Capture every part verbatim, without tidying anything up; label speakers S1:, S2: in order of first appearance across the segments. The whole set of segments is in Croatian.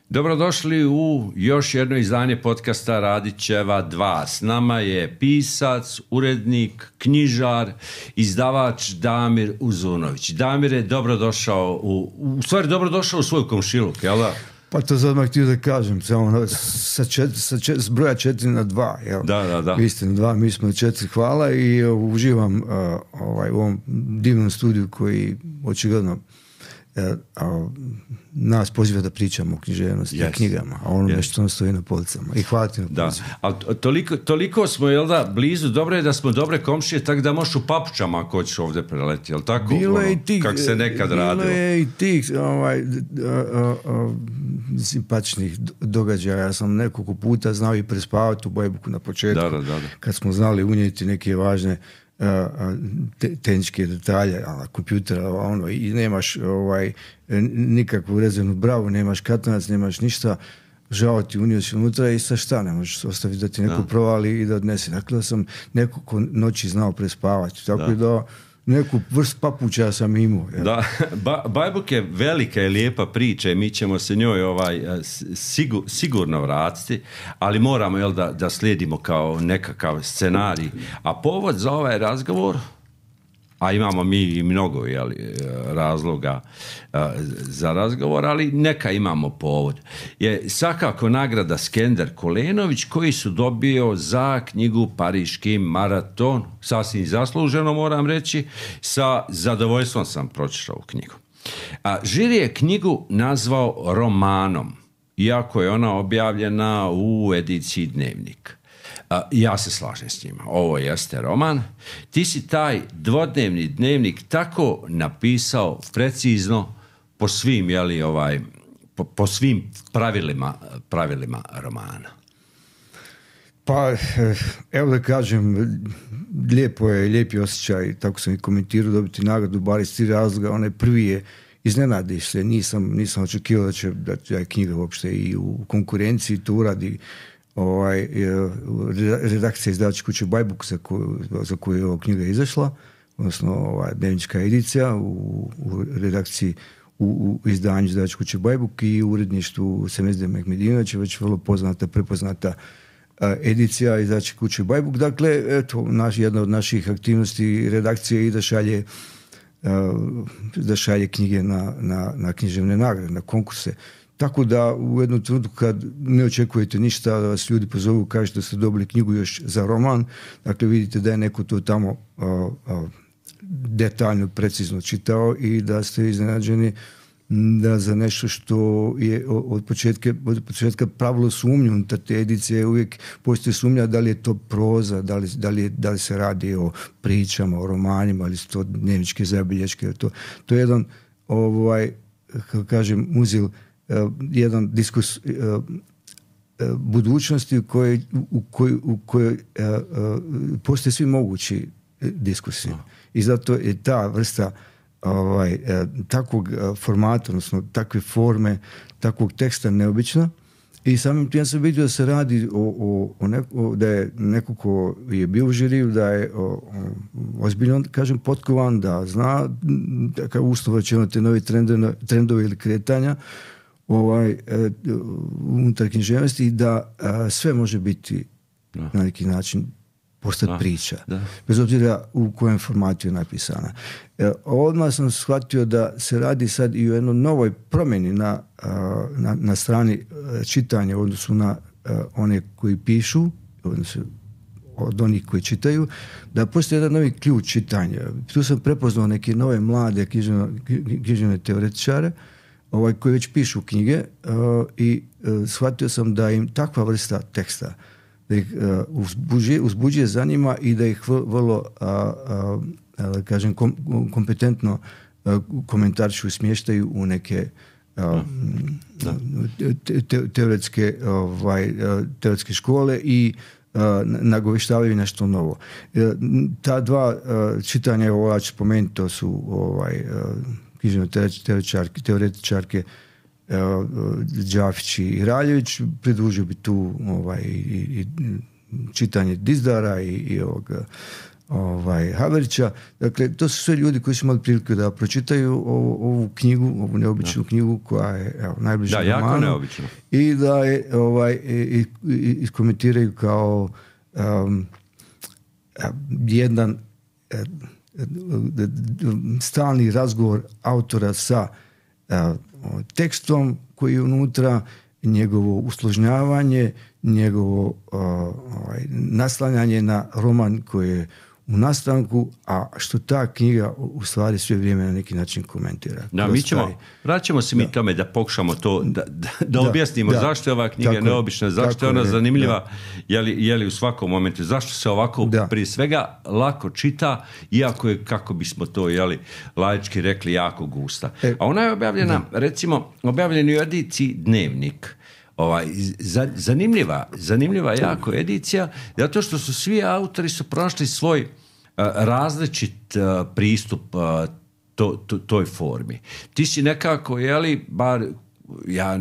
S1: Dobrodošli u još jedno izdanje podcasta Radićeva dva. S nama je pisac, urednik, knjižar, izdavač Damir Uzunović. Damire, dobrodošao u, u stvari dobrodošao u svoj komšiluk, jel da?
S2: Pa to sad odmah htio da kažem, samo sa, čet, sa čet, s broja četiri na dva. Jel?
S1: Da, da, da.
S2: Vi ste na dva, mi smo na četiri, hvala i uh, uživam uh, ovaj, u ovom divnom studiju koji očigledno uh, uh, nas poziva da pričamo o književnosti yes. i knjigama, a ono yes. što nam stoji na policama. I hvala ti na pozivu.
S1: Da, ali toliko, toliko smo, jel da, blizu, dobro je da smo dobre komšije, tako da možeš u papučama ako hoćeš ovdje preleti, jel tako?
S2: Bilo je
S1: ono,
S2: i tih,
S1: kako se nekad
S2: bilo
S1: radilo.
S2: Bilo je i tih ovaj, uh, uh, uh, simpatičnih događaja. Ja sam nekoliko puta znao i prespavati u Bajbuku na početku,
S1: da, da, da.
S2: kad smo znali unijeti neke važne uh, te, tehničke detalje, na kompjutera, ono, i nemaš ovaj, nikakvu rezervnu bravu, nemaš katanac, nemaš ništa, žao ti, unio si unutra i sa šta, ne možeš ostaviti da ti neko da. provali i da odnese. Dakle, da sam nekoliko noći znao prespavati, tako da, da neku vrst papuća sam imao. Ja.
S1: Da, ba, Bajbuk je velika i lijepa priča i mi ćemo se njoj ovaj, sigur, sigurno vratiti, ali moramo jel, da, da slijedimo kao nekakav scenarij. A povod za ovaj razgovor, a imamo mi i mnogo jel, razloga uh, za razgovor, ali neka imamo povod, je svakako nagrada Skender Kulenović koji su dobio za knjigu Pariški maraton, sasvim zasluženo moram reći, sa zadovoljstvom sam pročitao knjigu. A žiri je knjigu nazvao romanom, iako je ona objavljena u ediciji Dnevnik. Uh, ja se slažem s njima. Ovo jeste roman. Ti si taj dvodnevni dnevnik tako napisao precizno po svim, jeli, ovaj, po, po svim pravilima, pravilima romana.
S2: Pa, evo da kažem, lijepo je, lijepi osjećaj, tako sam i komentirao, dobiti nagradu, bar iz tri razloga. Onaj prvi je, iznenadiš se, nisam, nisam očekivao da će, da će knjiga uopšte i u konkurenciji to uradi. Ovaj, redakcija izdavačke kuće Bajbuk za koju, za koju je ova knjiga izašla, odnosno ova dnevnička edicija u, u redakciji u, u izdanju izdavačke kuće Bajbuk i u uredništvu Semezde Mehmedinovića, već vrlo poznata, prepoznata a, edicija izdavačke kuće Bajbuk. Dakle, eto, naš, jedna od naših aktivnosti redakcije i da šalje, a, da šalje knjige na, na, na književne nagrade, na konkurse. Tako da u jednom trenutku kad ne očekujete ništa, da vas ljudi pozovu, kažete da ste dobili knjigu još za roman, dakle vidite da je neko to tamo uh, uh, detaljno, precizno čitao i da ste iznenađeni da za nešto što je od početka, od početka pravilo sumnju unutar te edicije, uvijek postoji sumnja da li je to proza, da li, da li, da li se radi o pričama, o romanima, ali su to dnevničke zabilješke. To, to je jedan, ovaj, kako kažem, muzil, Uh, jedan diskurs uh, uh, budućnosti u kojoj, u kojoj, u kojoj uh, uh, postoje svi mogući diskursi. No. I zato je ta vrsta ovaj, uh, takvog uh, formata, odnosno takve forme, takvog teksta neobična. I samim tim sam vidio da se radi o, o, o, neko, da je neko ko je bio u žiriju, da je o, o, ozbiljno, kažem, potkovan, da zna takav uslov će te novi trendove, trendove ili kretanja ovaj, uh, unutar književnosti i da uh, sve može biti no. na neki način postati no. priča. Da. Bez obzira u kojem formatu je napisana. Uh, odmah sam shvatio da se radi sad i o jednoj novoj promjeni na, uh, na, na strani uh, čitanja u odnosu na uh, one koji pišu, odnosno od onih koji čitaju, da postoji jedan novi ključ čitanja. Tu sam prepoznao neke nove mlade književne teoretičare ovaj, koji već pišu knjige uh, i uh, shvatio sam da im takva vrsta teksta da ih uh, uzbuđuje, uzbuđuje za njima i da ih vrlo uh, uh, uh, kažem kom, kompetentno uh, komentaršu i smještaju u neke uh, da. te, te, teoretske, ovaj, uh, teoretske škole i uh, nagoveštavaju nešto novo. Uh, ta dva uh, čitanja, ovo ću spomenuti, to su ovaj, uh, književne teoretičarke, teoretičarke uh, Đafić i Raljević, pridružio bi tu ovaj, i, i čitanje Dizdara i, i ovog ovaj, Haverića. Dakle, to su sve ljudi koji su imali priliku da pročitaju ovu, ovu knjigu, ovu neobičnu da. knjigu koja je evo, najbliža
S1: da,
S2: romanu.
S1: Jako neobično.
S2: I da je ovaj, iskomentiraju kao um, jedan stalni razgovor autora sa uh, tekstom koji je unutra, njegovo usložnjavanje, njegovo uh, ovaj, naslanjanje na roman koji je u nastanku, a što ta knjiga u stvari sve vrijeme na neki način komentira.
S1: Da, mi ćemo, vraćamo se mi da. tome da pokušamo to, da, da, da, da objasnimo da. zašto je ova knjiga tako neobična, zašto je ona je, zanimljiva, je li, je li u svakom momentu, zašto se ovako da. prije svega lako čita, iako je, kako bismo to jeli, laički rekli, jako gusta. E, a ona je objavljena, da. recimo, objavljena u ediciji Dnevnik. Ovaj, zanimljiva, zanimljiva jako edicija, zato što su svi autori su pronašli svoj uh, različit uh, pristup uh, to, to, toj formi. Ti si nekako, jeli, bar ja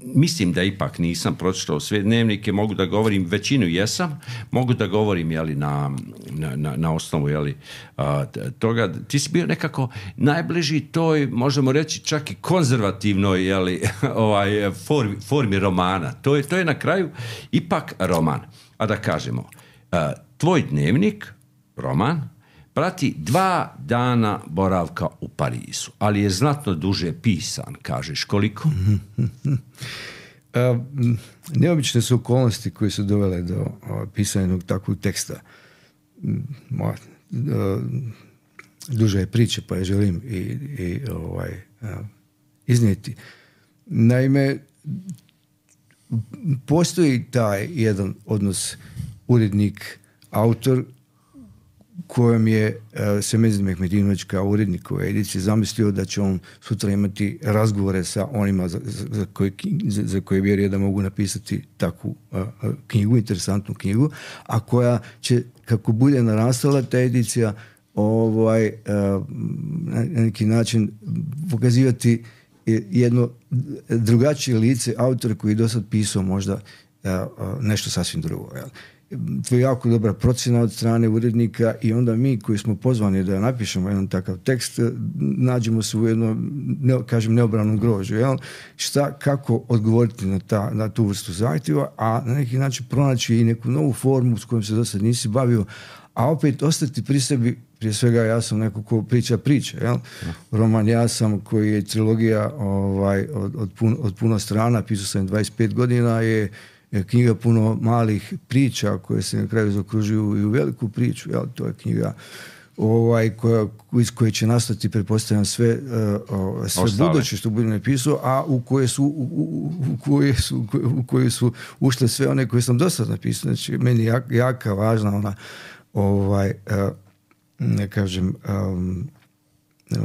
S1: mislim da ipak nisam pročitao sve dnevnike, mogu da govorim, većinu jesam, mogu da govorim jeli, na, na, na osnovu jeli, a, toga. Ti si bio nekako najbliži toj, možemo reći, čak i konzervativnoj jeli, ovaj, formi, formi romana. To je, to je na kraju ipak roman. A da kažemo, a, tvoj dnevnik, roman, prati dva dana boravka u Parizu, ali je znatno duže pisan, kažeš koliko?
S2: A, neobične su okolnosti koje su dovele do a, pisanja takvog teksta. A, a, duže je priče, pa je želim i, i ovaj, a, iznijeti. Naime, postoji taj jedan odnos urednik, autor, kojem je uh, Semezid Mehmedinović kao urednik ove edicije zamislio da će on sutra imati razgovore sa onima za, za, koje, za, za koje vjeruje da mogu napisati takvu uh, knjigu, interesantnu knjigu, a koja će, kako bude narastala ta edicija, ovaj, uh, na neki način pokazivati jedno drugačije lice autora koji je do sad pisao možda uh, uh, nešto sasvim drugo. Jel? To je jako dobra procjena od strane urednika i onda mi koji smo pozvani da napišemo jedan takav tekst nađemo se u jednom, ne, kažem, neobranom grožu. Jel? Šta, kako odgovoriti na, ta, na tu vrstu zahtjeva, a na neki način pronaći i neku novu formu s kojom se do sad nisi bavio, a opet ostati pri sebi. Prije svega ja sam neko ko priča priče. Jel? Roman Ja sam, koji je trilogija ovaj, od, od, pun, od puno strana, pisao sam dvadeset pet godina, je knjiga puno malih priča koje se na kraju zaokružuju i u veliku priču. Jel? To je knjiga ovaj, koja, iz koje će nastati, pretpostavljam, sve, uh, sve buduće što bude napisao, a u koje su, u, u, u, koje su, u koje su ušle sve one koje sam do sad napisao. Znači, meni je jak, jaka, važna ona ovaj, uh, ne kažem um,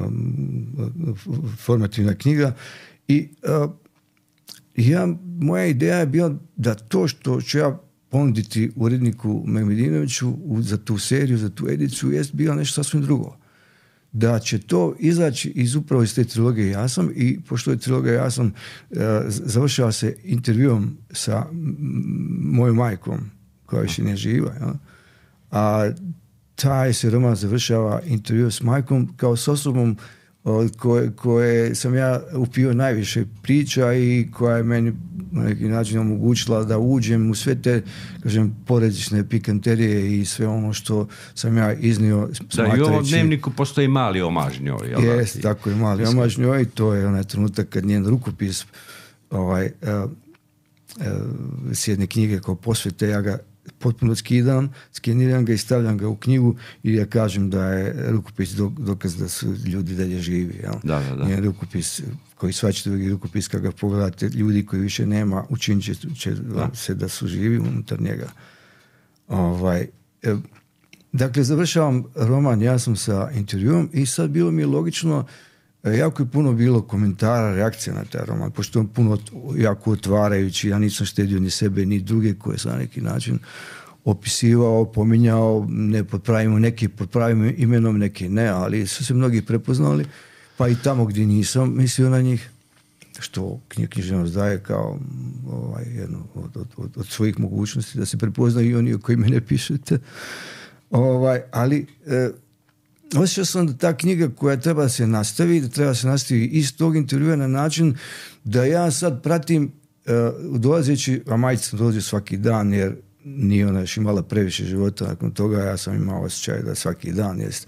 S2: um, formativna knjiga i uh, ja, moja ideja je bila da to što ću ja ponuditi uredniku Mehmedinoviću za tu seriju, za tu ediciju, jest bilo nešto sasvim drugo. Da će to izaći iz upravo iz te trilogije Ja sam, i pošto je trilogija Ja sam uh, završava se intervjuom sa mojom majkom, koja više ne živa, ja? A taj se roman završava intervju s majkom kao s osobom od koje, koje sam ja upio najviše priča i koja je meni na neki način omogućila da uđem u sve te, kažem, poredične pikanterije i sve ono što sam ja iznio smatrajući.
S1: Da, i u ovom dnevniku postoji mali omaž njoj.
S2: Jest, tako je, mali omaž njoj, i to je onaj trenutak kad njen rukopis ovaj, uh, uh, s jedne knjige kao posvete, ja ga potpuno skidam, skeniram ga i stavljam ga u knjigu i ja kažem da je rukopis dokaz da su ljudi dalje živi. Jel?
S1: Da, da, da.
S2: Njen rukopis, koji svačite drugi rukopis, kad ga pogledate, ljudi koji više nema, učinit će, će da. se da su živi unutar njega. Ovaj, e, dakle, završavam roman Ja sam sa intervjuom i sad bilo mi je logično, jako je puno bilo komentara, reakcija na taj roman, pošto je on puno jako otvarajući, ja nisam štedio ni sebe ni druge koje sam na neki način opisivao, pominjao, ne pod pravim, neki pod pravim imenom, neki ne, ali su se mnogi prepoznali, pa i tamo gdje nisam mislio na njih, što književnost daje kao ovaj, jedno od, od, od, od svojih mogućnosti da se prepoznaju i oni o kojima ne pišete. Ovaj, ali e, osjećao sam da ta knjiga koja treba se nastavi, da treba se nastavi iz tog intervjua na način da ja sad pratim uh, dolazeći, a majica sam dolazio svaki dan jer nije ona još imala previše života nakon toga, ja sam imao osjećaj da svaki dan jest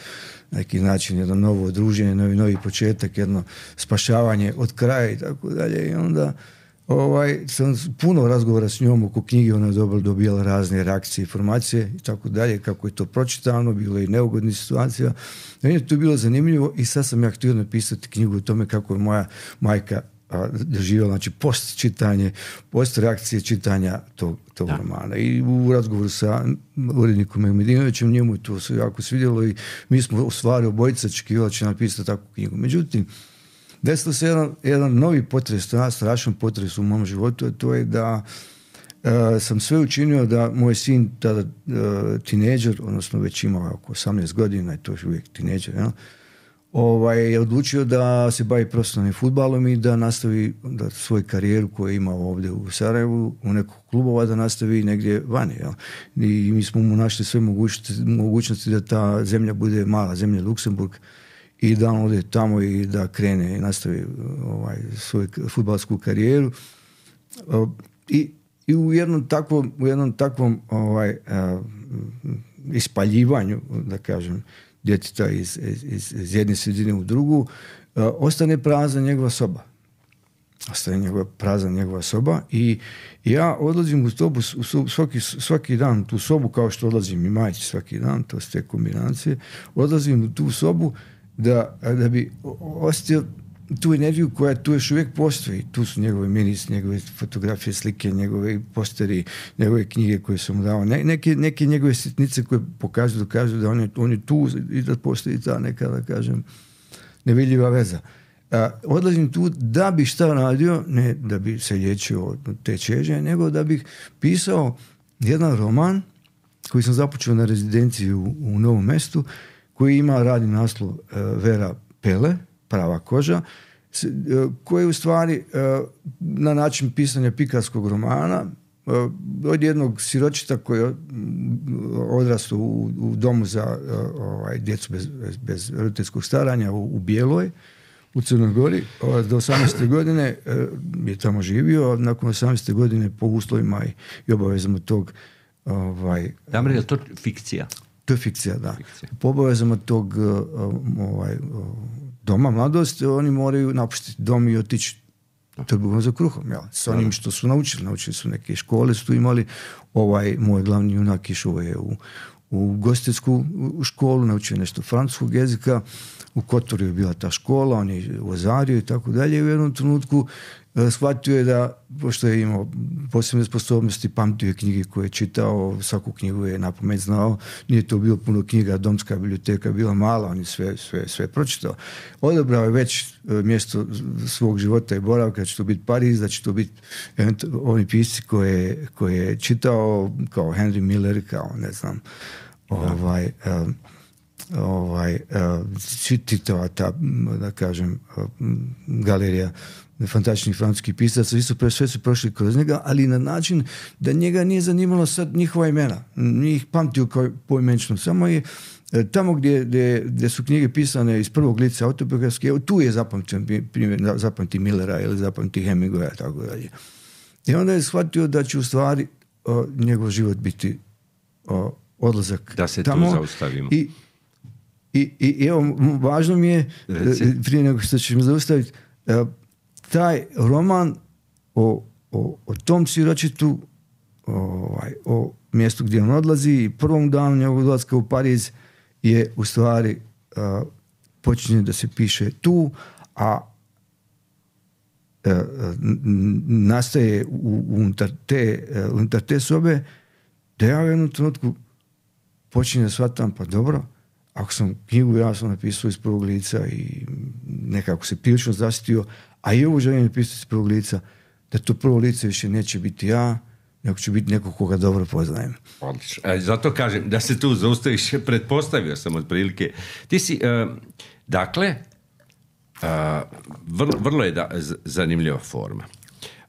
S2: neki način jedno novo druženje, novi, novi početak, jedno spašavanje od kraja i tako dalje i onda ovaj, sam puno razgovora s njom oko knjige, ona je dobro dobijala razne reakcije, informacije i tako dalje, kako je to pročitano, bilo je i neugodnih situacija. Meni je to bilo zanimljivo i sad sam ja htio napisati knjigu o tome kako je moja majka doživjela, znači post čitanje, post reakcije čitanja tog, tog romana. I u razgovoru sa urednikom Medinovićem njemu to se jako svidjelo i mi smo u stvari obojica očekivali će napisati takvu knjigu. Međutim, desilo se jedan, jedan novi potres, strašan potres u mom životu, a to je da uh, sam sve učinio da moj sin, tada uh, tineđer, odnosno već imao oko osamnaest godina, i to je uvijek tineđer, ja, ovaj, je odlučio da se bavi profesionalnim fudbalom i da nastavi da svoju karijeru koju je imao ovdje u Sarajevu, u nekog klubova, da nastavi negdje vani. Ja. I mi smo mu našli sve mogućnosti, mogućnosti da ta zemlja bude mala zemlja, Luksemburg, i da on ode tamo i da krene i nastavi ovaj, svoju fudbalsku karijeru. I, i u jednom takvom, u jednom takvom ovaj, a, ispaljivanju, da kažem, djeteta iz, iz, iz jedne sredine u drugu, uh, ostane prazna njegova soba. Ostane njegova, prazna njegova soba i ja odlazim u sobu u svaki, svaki dan, tu sobu kao što odlazim i majci svaki dan, to su te kombinacije, odlazim u tu sobu da, da bi osjetio tu energiju koja tu još uvijek postoji. Tu su njegove miris, njegove fotografije, slike, njegove posteri, njegove knjige koje sam mu dao. Ne, neke, neke njegove sitnice koje pokažu, dokažu da on je, on je tu i da postoji ta neka, da kažem, nevidljiva veza. A, odlazim tu da bi šta radio, ne da bi se liječio od te čežnje, nego da bih pisao jedan roman koji sam započeo na rezidenciji u, u Novom Mestu, koji ima radni naslov uh, Vera Pele, Prava koža, koji je u stvari na način pisanja pikarskog romana od jednog siročita koji je odrastao u, u domu za ovaj, djecu bez, bez roditeljskog staranja u, u Bijeloj, u Crnoj Gori. Do osamnaeste godine je tamo živio, nakon osamnaeste godine po uslovima i, i obavezama tog ovaj,
S1: Damir, je to fikcija?
S2: To je fikcija, da. Fikcija. Po obavezama tog ovaj, doma mladosti, oni moraju napustiti dom i otići trbuhom za kruhom, jel? S onim što su naučili. Naučili su neke škole, su imali. Ovaj moj glavni junak išao je u, u gostiteljsku školu, naučio nešto francuskog jezika, u Kotoru je bila ta škola, on je vozario i tako dalje, i u jednom trenutku shvatio je da, pošto je imao posebne sposobnosti, pamtio je knjige koje je čitao, svaku knjigu je napamet znao, nije to bilo puno knjiga, domska biblioteka je bila mala, on je sve, sve, sve pročitao. Odabrao je već mjesto svog života i boravka, da će to biti Pariz, da će to biti oni pisci koje, koje je čitao, kao Henry Miller, kao ne znam, ovaj... Um, ovaj, čitava ta, da kažem, galerija fantastičnih francuskih pisaca, svi su, sve su prošli kroz njega, ali na način da njega nije zanimalo sad njihova imena. Njih pamtio kao poimenično. Samo je tamo gdje, gdje, gdje su knjige pisane iz prvog lica autobiografske, tu je zapamtio, primjer, zapamti Millera ili zapamti Hemingwaya, tako dalje. I onda je shvatio da će u stvari o, njegov život biti o, odlazak
S1: da se
S2: tamo.
S1: Tu zaustavimo.
S2: I I, i evo, važno mi je, Reci. prije nego što ćemo zaustaviti, taj roman o, o, o tom siročitu, ovaj, o mjestu gdje on odlazi i prvom danu njegovog odlaska u Pariz je u stvari uh, počinje da se piše tu, a uh, nastaje u, unutar, te, uh, unutar te sobe da ja u jednom trenutku počinje da shvatam, pa dobro, ako sam knjigu ja sam napisao iz prvog lica i nekako se prilično zasitio, a i ovo želim napisati iz prvog lica, da to prvo lice više neće biti ja, nego će biti neko koga dobro poznajem.
S1: Odlično. E, zato kažem, da se tu zaustaviš, pretpostavio sam otprilike. Ti si, uh, dakle, uh, vrlo, vrlo je da, z- zanimljiva forma.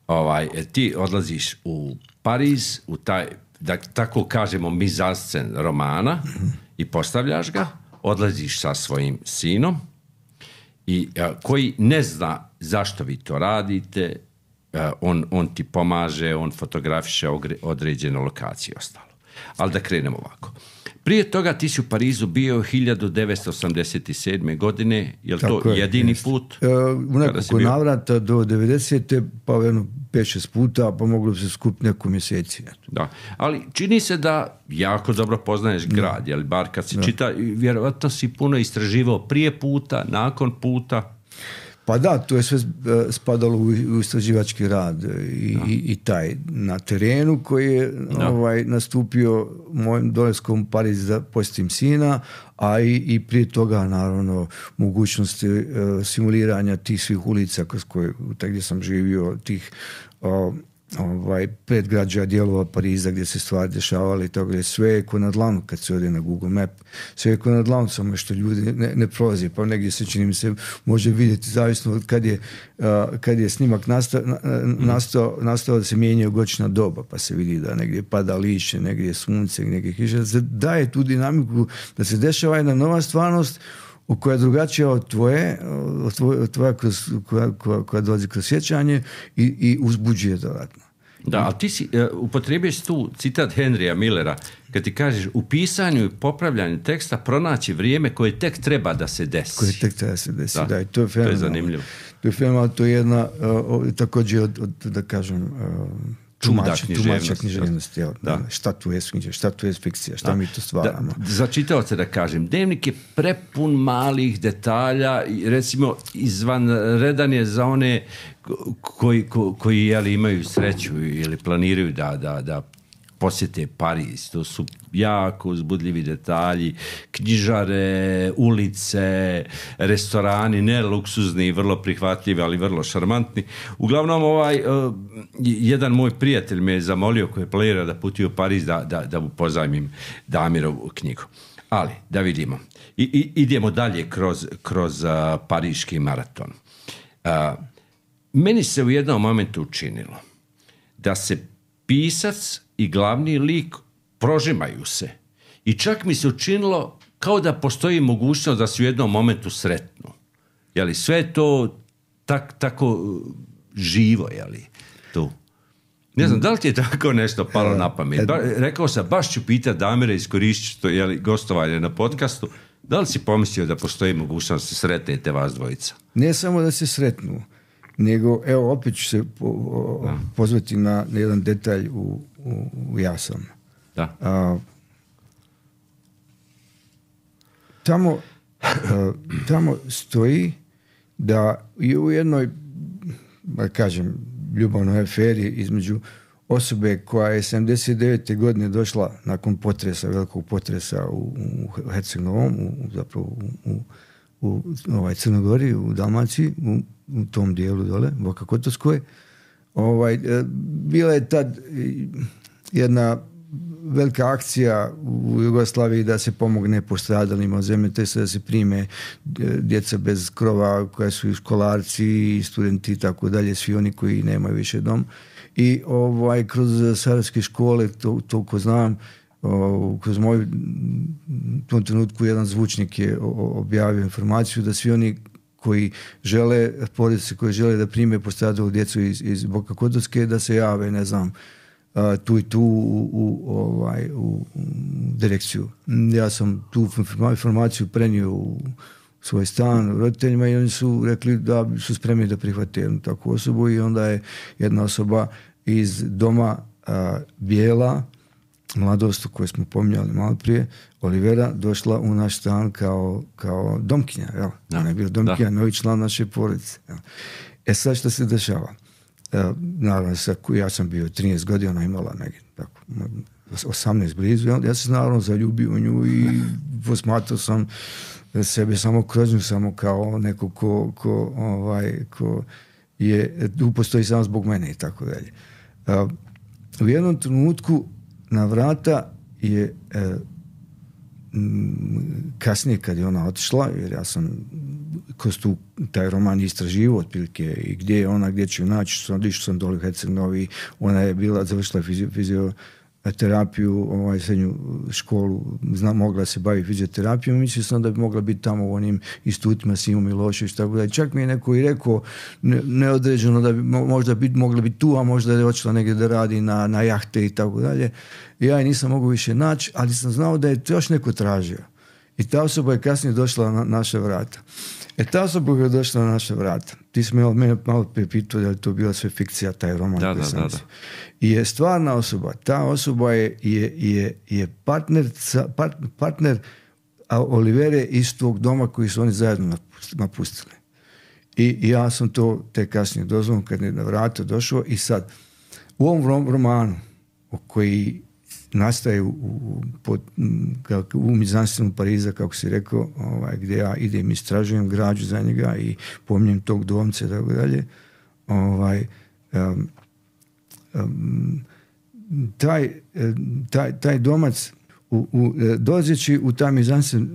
S1: Ovaj, ti odlaziš u Pariz, u taj, da tako kažemo, mizanscen romana, mm-hmm. i postavljaš ga, odlaziš sa svojim sinom i a, koji ne zna zašto vi to radite, a, on, on ti pomaže, on fotografiše određene lokacije i ostalo. Ali da krenemo ovako. Prije toga ti si u Parizu bio hiljadu devetsto osamdeset sedme. godine, je li to je, jedini jest. put?
S2: E, u nekoliko navrata do devedesete. pa jedno pet šest puta, pa moglo bi se skupiti neko mjeseci.
S1: Da, ali čini se da jako dobro poznaješ grad, jel, bar kad si da. čita, vjerovatno si puno istraživao prije puta, nakon puta.
S2: Pa da, to je sve spadalo u istraživački rad i, i, i taj na terenu koji je ovaj, nastupio mojim dolaskom u Pariz da posjetim sina, a i, i prije toga naravno mogućnosti uh, simuliranja tih svih ulica kroz koje, gdje sam živio, tih uh, ovaj, predgrađa dijelova Pariza gdje se stvari dešavali i tako gdje sve je ko na dlanu kad se ode na Google Map, sve je ko na dlanu, samo što ljudi ne, ne prolaze, pa negdje se čini mi se može vidjeti zavisno od kad je, uh, kad je snimak nastao, nastao, nastao da se mijenjaju godišnja doba, pa se vidi da negdje pada lišće, negdje je sunce, negdje kiša, da se daje tu dinamiku, da se dešava jedna nova stvarnost koja je drugačija od tvoje, od tvoje, od tvoje kroz, koja, koja, koja dolazi kroz sjećanje i, i uzbuđuje dodatno.
S1: Da, ali ti si, uh, upotrijebuješ tu citat Henrya Millera, kad ti kažeš u pisanju i popravljanju teksta pronaći vrijeme koje tek treba da se desi.
S2: Koje tek treba da se desi, da. da i to je
S1: to je zanimljivo.
S2: To je fenomenalno, to je jedna, uh, također od, od, da kažem, uh, tumača književnosti. Da. Šta tu je književnost, šta tu je fikcija, šta da. mi to stvaramo.
S1: Da, za čitaoce da kažem, Dnevnik je prepun malih detalja, recimo izvanredan je za one koji, ko, koji jeli, imaju sreću ili planiraju da, da, da posjete Pariz. To su jako uzbudljivi detalji, knjižare, ulice, restorani, ne luksuzni, vrlo prihvatljivi, ali vrlo šarmantni. Uglavnom, ovaj, uh, jedan moj prijatelj me je zamolio, koji je planirao da putuje u Pariz, da, da, da mu pozajmim Damirovu knjigu. Ali, da vidimo. I, i, idemo dalje kroz, kroz uh, pariški maraton. Uh, meni se u jednom momentu učinilo da se pisac i glavni lik prožimaju se. I čak mi se učinilo kao da postoji mogućnost da se u jednom momentu sretnu. Jeli, sve je to tak, tako živo, jeli, tu. Ne znam, da li ti je tako nešto palo na pamet? Ba, rekao sam, baš ću pitati Damira, iskorišću to, jeli, gostovanje na podcastu, da li si pomislio da postoji mogućnost da se sretnete vas dvojica?
S2: Ne samo da se sretnu, nego, evo, opet ću se po, o, pozvati na jedan detalj u, u, u Ja sam.
S1: Da.
S2: A, tamo, a, tamo stoji da je u jednoj, da kažem, ljubavnoj aferi između osobe koja je sedamdeset devete. godine došla nakon potresa, velikog potresa u, u Herceg-Novom, u, zapravo u, u, u ovaj, Crnogori, u Dalmaciji, u, u tom dijelu dole, Boka Kotorskoj. Ovaj, bila je tad jedna velika akcija u Jugoslaviji da se pomogne postradalima od zemljotresa, da se prime djeca bez krova koja su i školarci i studenti i tako dalje, svi oni koji nemaju više dom. I ovaj, kroz sarajevske škole, to, toliko znam, o, kroz moju u tom trenutku jedan zvučnik je objavio informaciju da svi oni koji žele, porodice koji žele da prime postradalnu djecu iz, iz Boka Kotorske, da se jave, ne znam, Uh, tu i tu u, u, ovaj, u, u direkciju. Ja sam tu informaciju prenio u svoj stan roditeljima i oni su rekli da su spremni da prihvate jednu takvu osobu i onda je jedna osoba iz doma uh, Bijela, mladost koju smo pominjali malo prije, Olivera, došla u naš stan kao, kao domkinja. Jel?
S1: Da,
S2: ona je bila domkinja, novi član naše porodice. Jel? E sad što se dešava? Uh, naravno, ja sam bio trinaest godina, ona imala negdje tako, osamnaest blizu, ja sam naravno zaljubio u nju i posmatrao sam sebe samo kroz nju, samo kao neko ko, ko, ovaj, ko je, tu postoji samo zbog mene i tako dalje. Uh, u jednom trenutku na vrata je uh, kasnije kad je ona otišla, jer ja sam kroz tu, taj roman istraživao otprilike i gdje je ona, gdje ću naći, sam, išao sam dole u Herceg-Novi, ona je bila, završila fizio, fizio terapiju, ovaj, srednju školu, zna, mogla se baviti fizioterapijom, mislio sam da bi mogla biti tamo u onim institutima Simo Milošević, tako da. Čak mi je neko i rekao ne, neodređeno da bi možda bit, mogla biti tu, a možda je otišla negdje da radi na, na jahte i tako dalje. Ja je nisam mogao više naći, ali sam znao da je još neko tražio. I ta osoba je kasnije došla na naše vrata. E ta osoba je došla na naše vrata. Ti si me mene malo prepitao da je to bila sve fikcija, taj roman.
S1: Da, da, da, da.
S2: I je stvarna osoba. Ta osoba je, je, je, je partner, part, partner Olivere iz tog doma koji su oni zajedno napustili. I, i ja sam to te kasnije dozvolom kad je na vrata došao i sad u ovom romanu koji nastaje u, u, pod, u mizanstvenom Pariza, kako si rekao, ovaj, gdje ja idem, istražujem građu za njega i pominjem tog domce, tako dalje. Ovaj, um, um, taj, taj, taj domac, u, u, dolazeći u taj mizanstven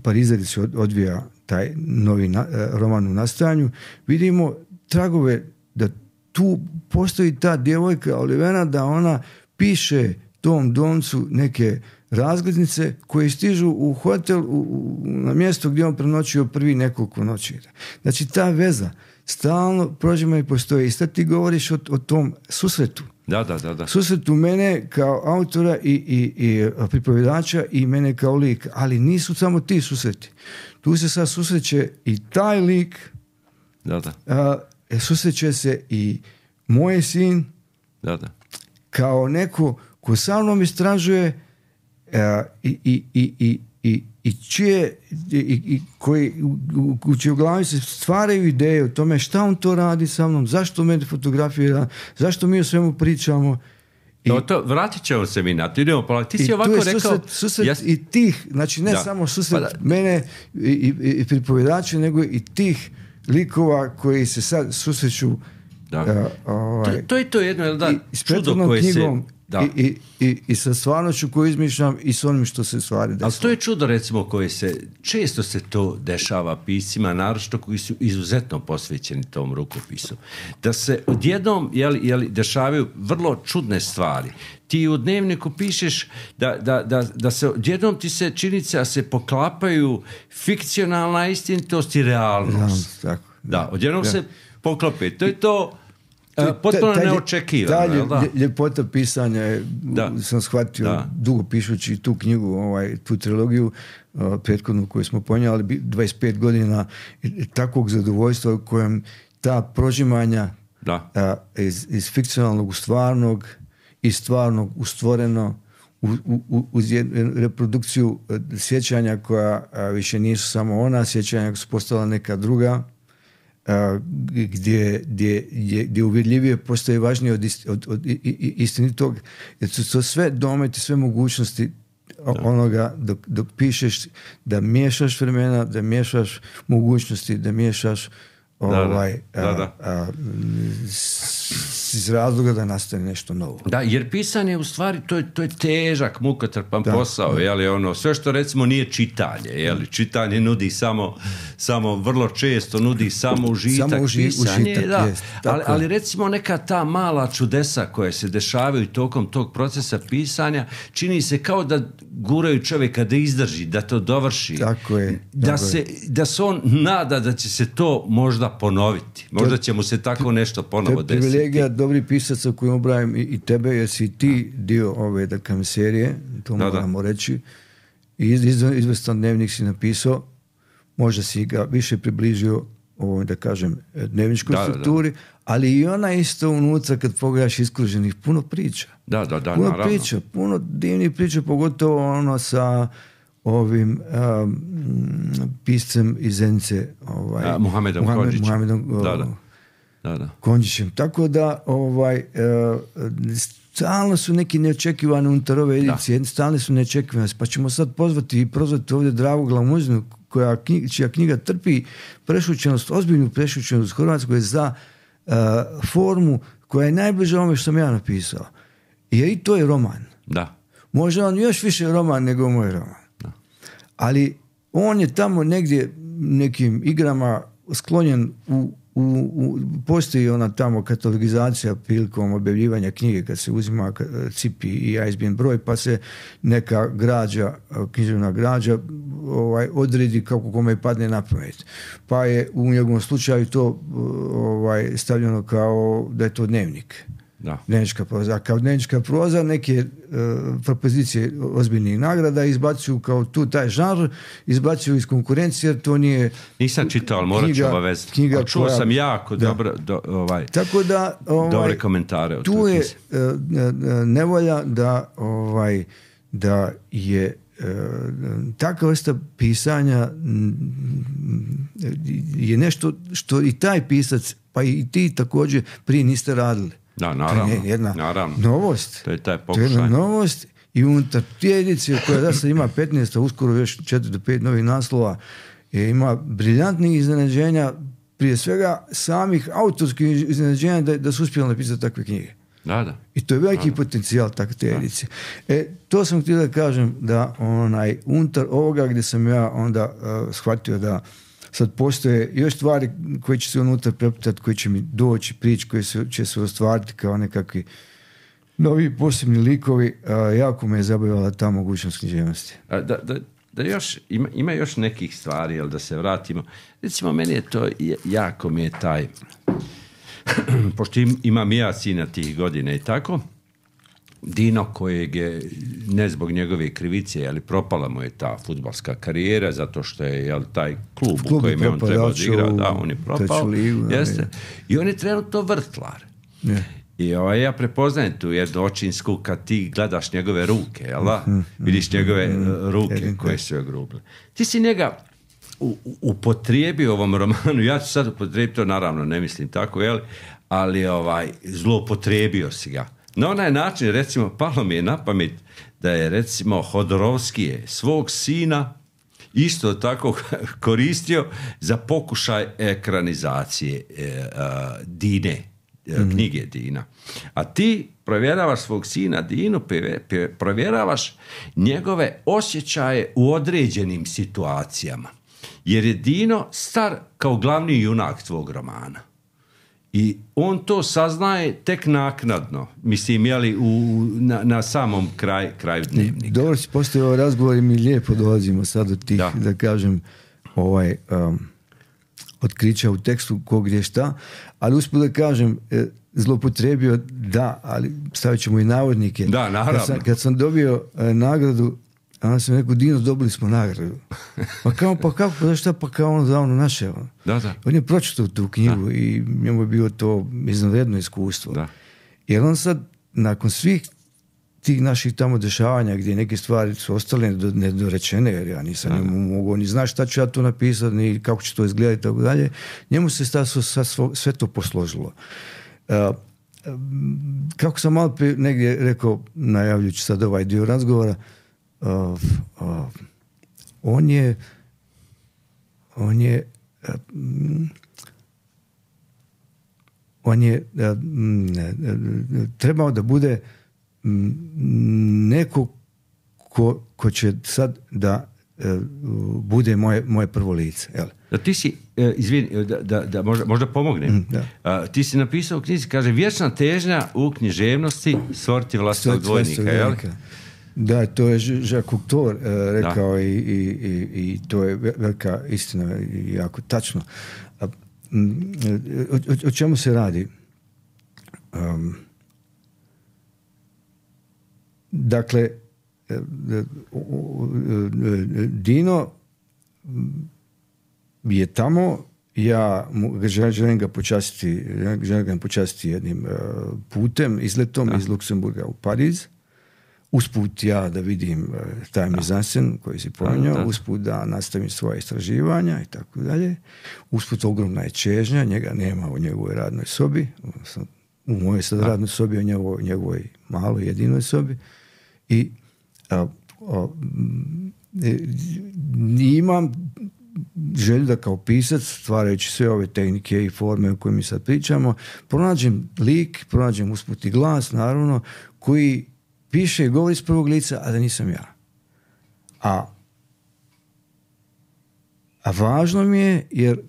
S2: Pariza gdje se odvija taj novi na, roman u nastajanju, vidimo tragove da tu postoji ta djevojka Olivera, da ona piše tom domcu neke razglednice koje stižu u hotel u, u, na mjesto gdje on prenoćio prvi nekoliko noći. Znači ta veza stalno prođima i postoji. I sad ti govoriš o, o tom susretu.
S1: Da, da, da, da.
S2: Susretu mene kao autora i, i, i pripovjedača i mene kao lik. Ali nisu samo ti susreti. Tu se sad susreće i taj lik,
S1: da, da.
S2: A, susreće se i moj sin, da, da. Kao neko ko sa mnom istražuje uh, i, i, i, i, i, i čije i, i koji u, u čijoj glavi se stvaraju ideje o tome šta on to radi sa mnom, zašto me fotografira, zašto mi o svemu pričamo.
S1: I, to, to, vratit ćemo se mi na to, idemo pa ti si ovako rekao
S2: susret, susret jas... i tih, znači ne da. Samo susret pa mene i, i, i pripovjedača, nego i tih likova koji se sad susreću.
S1: Da. Uh, ovaj, to, to je to jedno da,
S2: i, čudo koje knjigom, se da. I, i, i, i sa stvarnošću koju izmišljam i s onim što se stvari desilo.
S1: Ali to je čudo recimo koje se, često se to dešava piscima, naročito koji su izuzetno posvećeni tom rukopisu. Da se odjednom jeli, jeli, dešavaju vrlo čudne stvari. Ti u dnevniku pišeš da, da, da, da se odjednom ti se činjenica da se poklapaju fikcionalna istinitost i realnost.
S2: Da, tako,
S1: da, da odjednom da. Se poklope. To je to uh, potpuno neočekivano.
S2: Ta ljepota pisanja je, sam shvatio da. Dugo pišući tu knjigu, ovaj, tu trilogiju uh, prethodnu koju smo ponijeli, dvadeset pet godina takvog zadovoljstva u kojem ta prožimanja
S1: da.
S2: Uh, iz, iz fikcionalnog u stvarnog, iz stvarnog u stvoreno, u, u, uz reprodukciju sjećanja koja a, više nisu samo ona, sjećanja koja su postala neka druga, a, gdje, gdje, gdje, gdje uvjerljivije postoje važnije od, ist, od, od istinitog, jer su to sve dometi, sve mogućnosti da. Onoga dok, dok pišeš, da miješaš vremena, da miješaš mogućnosti, da miješaš ovaj,
S1: da, da. Da,
S2: a, a, iz razloga da nastane nešto novo.
S1: Da, jer pisanje u stvari to je, to je težak, mukotrpan da, posao, da. Jeli, ono, sve što recimo nije čitanje, jeli, čitanje nudi samo, samo vrlo često nudi samo užitak,
S2: samo uži,
S1: pisanje,
S2: užitak,
S1: da,
S2: jest,
S1: ali, ali recimo neka ta mala čudesa koje se dešavaju tokom tog procesa pisanja, čini se kao da guraju čovjeka da izdrži, da to dovrši,
S2: tako je,
S1: da,
S2: tako
S1: se,
S2: je.
S1: Da se on nada da će se to možda ponoviti, možda će mu se tako nešto ponovo desiti.
S2: Privilegija dobri pisaca koji ubrajam i, i tebe, jer si ti dio ove da kam serije, to da, moramo da. Reći. I iz, iz, izvestan dnevnik si napisao, možda si ga više približio ovoj, da kažem, dnevničkoj da, strukturi, da, da. Ali i ona isto unutra kad pogledaš iskruženih, puno priča.
S1: Da, da, da,
S2: puno
S1: naravno.
S2: priča, puno divnih priča, pogotovo ono sa ovim um, piscem iz Zenice, ovaj,
S1: A, Muhamedom
S2: Muhammed,
S1: Konjićem.
S2: Muhamedom,
S1: da, da. Da, da.
S2: Konjićem. Tako da ovaj, uh, stalno su neki neočekivani unutar ove edicije, stalno su neočekivani. Pa ćemo sad pozvati i prozvati ovdje Dragu Glamuzinu, koja, čija knjiga trpi prešućenost, ozbiljnu prešućenost Hrvatskoj za uh, formu koja je najbliža ovome što sam ja napisao. Jer i to je roman.
S1: Da.
S2: Može on još više roman nego moj roman.
S1: Da.
S2: Ali on je tamo negdje nekim igrama sklonjen u u, u, postoji ona tamo katalogizacija prilikom objavljivanja knjige kad se uzima C I P i I S B N broj pa se neka građa, književna građa ovaj, odredi kako kome padne na pamet. Pa je u njegovom slučaju to ovaj, stavljeno kao da je to dnevnik.
S1: Da.
S2: Dnevnička proza. A kao dnevnička proza neke uh, propozicije ozbiljnih nagrada izbacuju kao tu taj žanr, izbacuju iz konkurencije jer to nije...
S1: Nisam čitao, ali morat ću obavezati. A čuo koja, sam jako da. dobro do, ovaj,
S2: tako da, ovaj,
S1: dobre komentare. O
S2: tu je uh, nevolja da, ovaj, da je uh, takva vrsta pisanja je nešto što i taj pisac, pa i ti također prije niste radili.
S1: Da, naravno.
S2: To je jedna
S1: naravno.
S2: novost.
S1: To je taj
S2: pokušaj. To je jedna novost i unutar te edicije koja da sad ima petnaest, a uskoro još četiri do pet novih naslova, je, ima briljantnih iznenađenja, prije svega samih autorskih iznenađenja da, da su uspjeli napisati takve knjige.
S1: Da, da.
S2: I to je veliki da, potencijal takve te edicije. E, to sam htio da kažem da onaj, unutar ovoga gdje sam ja onda uh, shvatio da sad postoje još stvari koje će se unutra preputati, koje će mi doći, prići, koje se, će se ostvariti kao nekakvi novi posebni likovi. A, jako me je zabavala ta mogućnost književnosti.
S1: Da, da, da još, ima, ima još nekih stvari, jel, da se vratimo. Recimo, meni je to jako mi je taj... pošto im, imam ja sina tih godina i tako, Dino kojeg je, ne zbog njegove krivice, ali propala mu je ta fudbalska karijera, zato što je jel, taj klub, klub u kojem je on trebao da igra, da, on je propao. Ligu, jeste. I on je trenutno vrtlar. Yeah. I ovaj, ja prepoznajem tu jednu očinsku kad ti gledaš njegove ruke, jel da? Mm-hmm. Vidiš njegove mm-hmm. ruke mm-hmm. koje su joj grubile. Ti si njega u, upotrijebio u ovom romanu, ja ću sad upotrijebiti to, naravno, ne mislim tako, jel? Ali ovaj, zloupotrijebio si ga. Na onaj način, recimo, palo mi je na pamet da je, recimo, Hodorovski je svog sina isto tako koristio za pokušaj ekranizacije e, a, Dine, e, mm. knjige Dina. A ti provjeravaš svog sina Dinu, provjeravaš njegove osjećaje u određenim situacijama. Jer je Dino star kao glavni junak tvog romana. I on to saznaje tek naknadno, mislim, jeli, u, na, na samom kraj, kraju dnevnika.
S2: Dobro si postoji ovaj razgovor i mi lijepo dolazimo sad od tih, da, da kažem, ovaj, um, otkrića u tekstu kog je šta, ali usput da kažem, e, zloupotrijebio, da, ali stavit ćemo i navodnike.
S1: Da, naravno.
S2: Kad sam, kad sam dobio e, nagradu, a onda sam rekao, Dino, dobili smo nagradu. Pa kao, pa kako, pa šta, pa kao ono za ono naše. Ono.
S1: Da, da.
S2: On je pročitao tu knjigu, da, i njemu je bilo to izvanredno iskustvo. Da. Jer on sad, nakon svih tih naših tamo dešavanja, gdje neke stvari su ostale nedorečene, jer ja nisam da, njemu mogao ni znaš šta ću ja to napisati, ni kako će to izgledati, tako dalje, njemu se sta, sve, sve to posložilo. Uh, kako sam malo prije negdje rekao, najavljujući sad ovaj dio razgovora, Uh, uh, on je on je uh, on je uh, uh, trebao da bude um, neko ko, ko će sad da uh, bude moje, moje prvo lice. Jel?
S1: Da ti si, uh, izvini, da, da, da možda, možda pomognem. Mm, da. Uh, ti si napisao u knjizi, kaže, vječna težnja u književnosti stvoriti vlastnog dvojnika, jel?
S2: Da, to je Jacques Cocteau uh, rekao i, i, i, i to je velika istina i jako tačno. A, m, o, o čemu se radi? Um, dakle, Dino je tamo, ja mu, želim ga počastiti, želim ga počastiti jednim uh, putem, izletom da. iz Luksemburga u Pariz. Usput ja da vidim uh, taj mizansen koji si pominjao, usput da nastavim svoje istraživanja i tako dalje. Usput ogromna je čežnja, njega nema u njegovoj radnoj sobi, u mojoj sad da. radnoj sobi, u njegovoj, njegovoj maloj jedinoj sobi. I a, a, imam želju da kao pisac, stvarajući sve ove tehnike i forme o kojima mi sad pričamo, pronađem lik, pronađem usput i glas, naravno, koji piše i govori iz prvog lica, a da nisam ja. A, a važno mi je, jer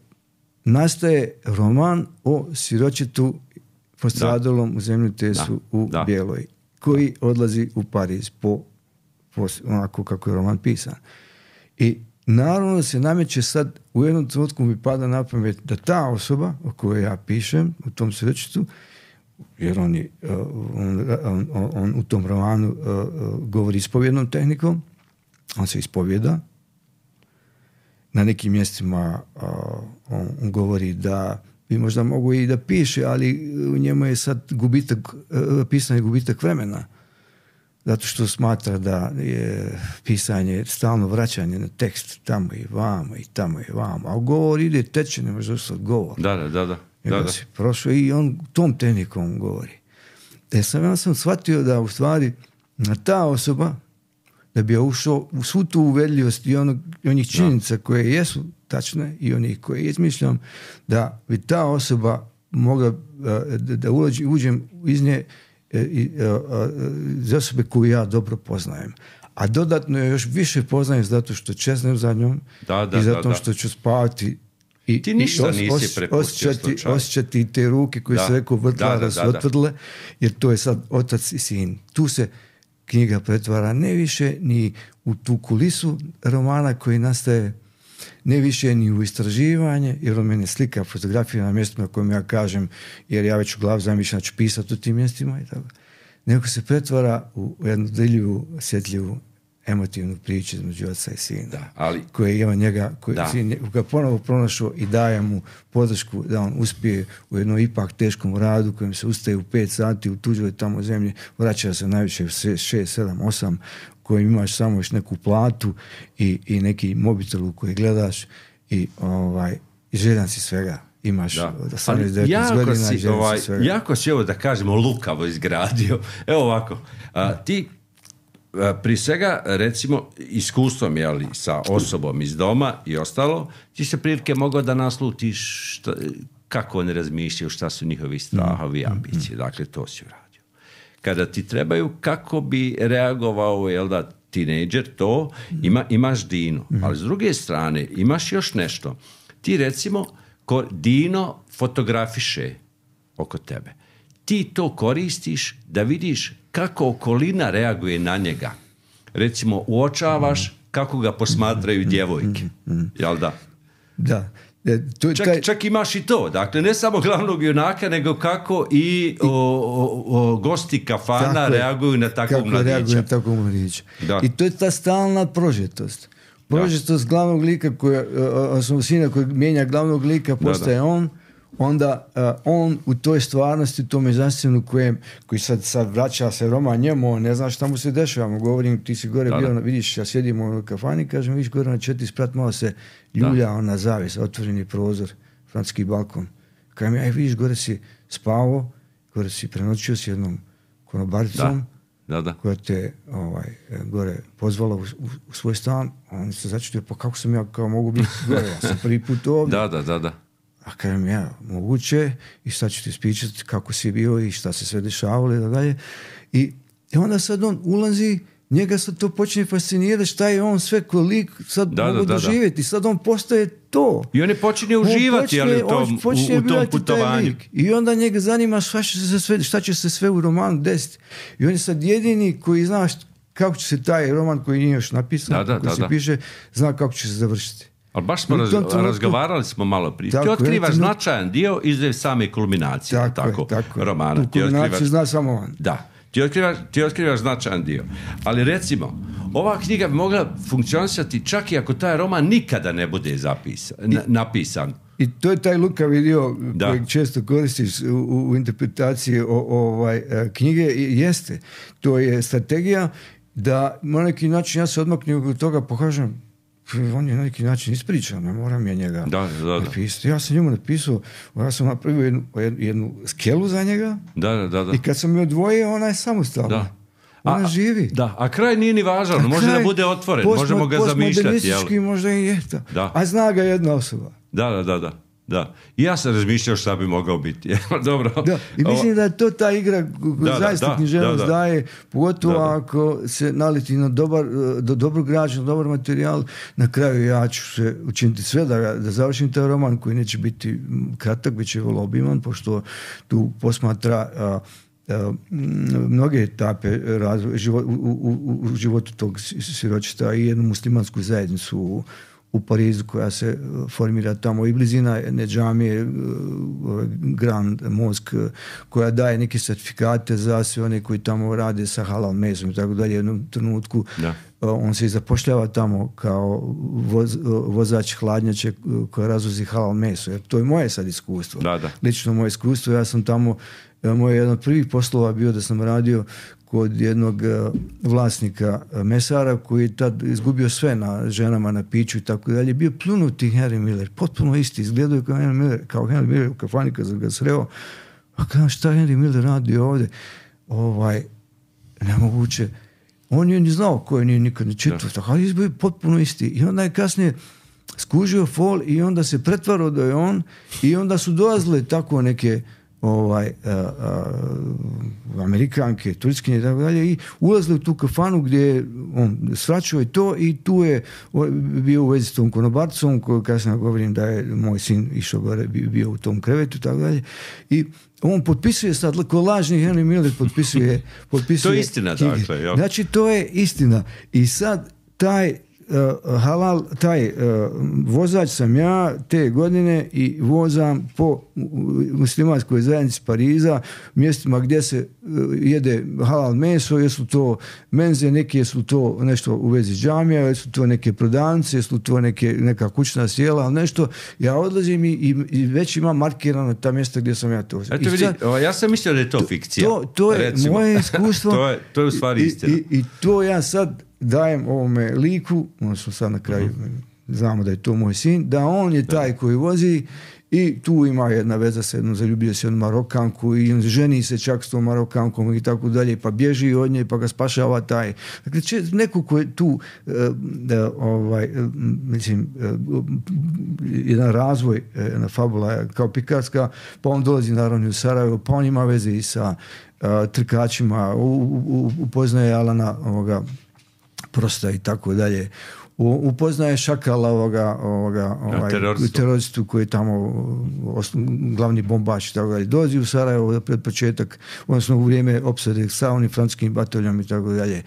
S2: nastaje roman o siročetu postradalom u zemljotesu u
S1: da.
S2: Bijeloj, koji odlazi u Pariz po, po onako kako je roman pisan. I naravno se nameće sad, u jednom trenutku mi pada na pamet da ta osoba o kojoj ja pišem u tom siročetu, jer on, je, on, on, on u tom romanu uh, govori ispovjednom tehnikom, on se ispovjeda, na nekim mjestima uh, on, on govori da bi možda mogu i da piše, ali u njemu je sad gubitak, uh, pisanje gubitak vremena, zato što smatra da je pisanje stalno vraćanje na tekst tamo i vamo i tamo i vamo, a govor ide teče, ne može ostati govor.
S1: Da, da, da. da.
S2: Da, da. Prošao i on tom tehnikom govori. E sam, ja sam shvatio da u stvari ta osoba, da bi ušao u svu tu uvedljivost i onog, onih činjenica koje jesu tačne i onih koje izmišljam, da bi ta osoba mogla da, da uđe, uđem iz nje za osobe koju ja dobro poznajem. A dodatno je još više poznajem zato što čeznem za njom
S1: da, da,
S2: i zato
S1: da, da.
S2: što ću spavati i,
S1: ti ništa
S2: os,
S1: nisi
S2: os,
S1: prepustio
S2: osjećati, osjećati te ruke koje
S1: da.
S2: se rekao vrtlara da, da, su da, otvrdle, jer to je sad otac i sin. Tu se knjiga pretvara ne više ni u tu kulisu romana koji nastaje, ne više ni u istraživanje, jer on mene slika fotografije na mjestima kojim ja kažem, jer ja već u glavu zamišljam da ću pisati u tim mjestima i tako. Nego se pretvara u jednu deljivu, osjetljivu, emotivnu priču između oca i sina,
S1: da, ali,
S2: koji ima njega, koji sin ga ponovo pronašao i daje mu podršku da on uspije u jednom ipak teškom radu kojem se ustaje u pet sati u tuđoj tamo zemlji, vraća se najviše u šest, sedam, osam, kojim imaš samo još neku platu i, i neki mobitel u koji gledaš i, ovaj, i željan si svega. Imaš osamnaest devetnaest godina i željan
S1: ovaj,
S2: si svega.
S1: Jako si ovo, da kažemo, lukavo izgradio. Evo ovako, a, ti prije svega, recimo, iskustvom, jeli, sa osobom iz doma i ostalo, ti se prilike mogao da naslutiš šta, kako oni razmišljaju, šta su njihovi strahovi i ambicije. Dakle, to si uradio. Kada ti trebaju, kako bi reagovao, jel da, tinejdžer, to, ima, imaš Dino. Ali s druge strane, imaš još nešto. Ti, recimo, ko, Dino fotografiše oko tebe. Ti to koristiš da vidiš kako okolina reaguje na njega. Recimo, uočavaš kako ga posmatraju djevojke. Jel da?
S2: Da. E, to,
S1: čak,
S2: taj...
S1: čak imaš i to. Dakle, ne samo glavnog junaka, nego kako i o, o, o, gosti kafana tako reaguju na takvog
S2: kako
S1: mladića.
S2: Reaguju na takvog mladića. I to je ta stalna prožetost. Prožetost glavnog lika, koja, osnovno sina koji mijenja glavnog lika, postaje da, da. on, onda uh, on u toj stvarnosti, u tome zastavnu kojem, koji sad, sad vraća se roman njemu, on ne zna šta mu se dešava, govorim, ti si gore da, bio, da. vidiš, ja sjedim u kafani, kažem, vidiš gore na četiri sprat, malo se ljulja, ona zavis, otvoreni prozor, francuski balkon. Kažem, aj vidiš, gore si spavao, gore si prenoćio s jednom konobaricom,
S1: da, da.
S2: koja te ovaj, gore pozvala u, u, u svoj stan, on se začutio, pa kako sam ja kao mogu biti gore, ja sam prvi put ovdje.
S1: Da, da, da, da.
S2: A kažem ja, moguće, i sad ću ti ispričati kako si bio i šta se sve dešavalo i da dalje. I, I onda sad on ulazi, njega sad to počne fascinirati, šta je on sve kolik sad da, mogu da, doživjeti. Da. Sad on postaje to.
S1: I on je počinje uživati on počne, ali, u tom, počne u, u tom putovanju.
S2: I onda njega zanima šta će se sve, šta će se sve u romanu desiti. I on je sad jedini koji zna kako će se taj roman koji nije još napisan,
S1: da, da,
S2: koji
S1: da,
S2: se
S1: da.
S2: piše, zna kako će se završiti.
S1: Ali baš smo raz, trenutku, razgovarali smo malo prije. Ti otkrivaš je, značajan dio iz same kulminacije tako, tako, tako romana.
S2: U kulminaciju zna samo on.
S1: Da, ti otkrivaš, ti otkrivaš značajan dio. Ali recimo, ova knjiga bi mogla funkcionisati čak i ako taj roman nikada ne bude zapisan, I, napisan.
S2: I to je taj lukavi dio koji često koristiš u, u interpretaciji o, o, ovaj, knjige. I jeste, to je strategija da na neki način ja se odmaknem od toga, pokažem on je na neki način ispričan, ne moram ja njega
S1: da, da, da.
S2: napisati. Ja sam njemu napisao, ja sam napravio jednu, jednu skelu za njega
S1: da, da, da.
S2: i kad sam je odvojio, ona je samostalna.
S1: Da.
S2: Ona
S1: a,
S2: živi.
S1: Da, a kraj nije ni važan, a može kraj, da bude otvoren,
S2: posmo,
S1: možemo ga zamišljati.
S2: Postmodernistički možda i je to. A zna ga jedna osoba.
S1: Da, da, da, da. Da. I ja sam razmišljao šta bi mogao biti. Dobro.
S2: Da. I mislim da je to ta igra koja zaista književnost daje, pogotovo da, da. ako se naleti na dobar, do dobrog građana, dobar materijal. Na kraju ja ću se učiniti sve da, da završim taj roman koji neće biti kratak, bit će vrlo obiman, pošto tu posmatra a, a, mnoge etape razvoja, život, u, u, u životu tog siročeta i jednu muslimansku zajednicu u u Parizu koja se formira tamo i blizina jedne džamije Grand Mosque koja daje neke certifikate za sve one koji tamo rade sa halal mesom i tako dalje. U jednom trenutku da. on se i zapošljava tamo kao voz, vozač hladnjače koja razvozi halal meso. Jer to je moje sad iskustvo.
S1: Da, da.
S2: Lično moje iskustvo. Ja sam tamo, moj jedan od prvih poslova bio da sam radio kod jednog vlasnika mesara koji je tad izgubio sve na ženama, na piću i tako dalje. Bio plunuti Henry Miller, potpuno isti, izgledao kao Henry Miller, kao Henry Miller u kafani kad sam ga sreo. A kada šta Henry Miller radi ovdje? Ovaj, nemoguće. On je ni znao koje nije nikad ne čitao, tako, ali izbio potpuno isti. I onda je kasnije skužio fol i onda se pretvarao da je on i onda su dolazile tako neke ovaj, a, a, Amerikanke, Turčkinje i tako dalje i ulazili u tu kafanu gdje je on svraćao i to i tu je bio u vezi s tom konobarcom koju kasnije govorim da je moj sin išao gore, bio u tom krevetu i tako dalje i on potpisuje sad, ko lažni Henry Miller potpisuje, potpisuje
S1: to je istina, dakle. Jel?
S2: Znači to je istina i sad taj Uh, halal, taj uh, vozač sam ja te godine i vozam po muslimanskoj zajednici Pariza, mjestima gdje se uh, jede halal meso, jesu to menze, neke su to nešto u vezi džamija, jesu to neke prodavnice, jesu to neke, neka kućna sjela, ali nešto, ja odlazim i, i, i već imam markirano ta mjesta gdje sam ja to.
S1: Eto vidi, sad, ja sam mislio da je to, to fikcija.
S2: To, to je recimo. Moje iskustvo.
S1: to, je, to je u stvari istina.
S2: I, i, i to ja sad dajem ovome liku, odnosno sad na kraju uh-huh. znamo da je to moj sin, da on je taj koji vozi i tu ima jedna veza sa jednom, zaljubio se jednu Marokanku i ženi se čak s tom Marokankom i tako dalje, pa bježi od nje pa ga spašava taj. Dakle, če, neko ko je tu uh, da, ovaj, uh, mislim uh, jedan razvoj, jedna fabula kao pikarska, pa on dolazi naravno u Sarajevo, pa on ima veze i sa uh, trkačima, upoznaje Alana ovoga Prosta i tako dalje. Upoznaje Šakala ovoga, ovoga ovaj, teroristu koji je tamo osno, glavni bombač i tako dalje. Dođi u Sarajevo pred početak, odnosno u vrijeme opsade sa onim francuskim bataljom i tako dalje.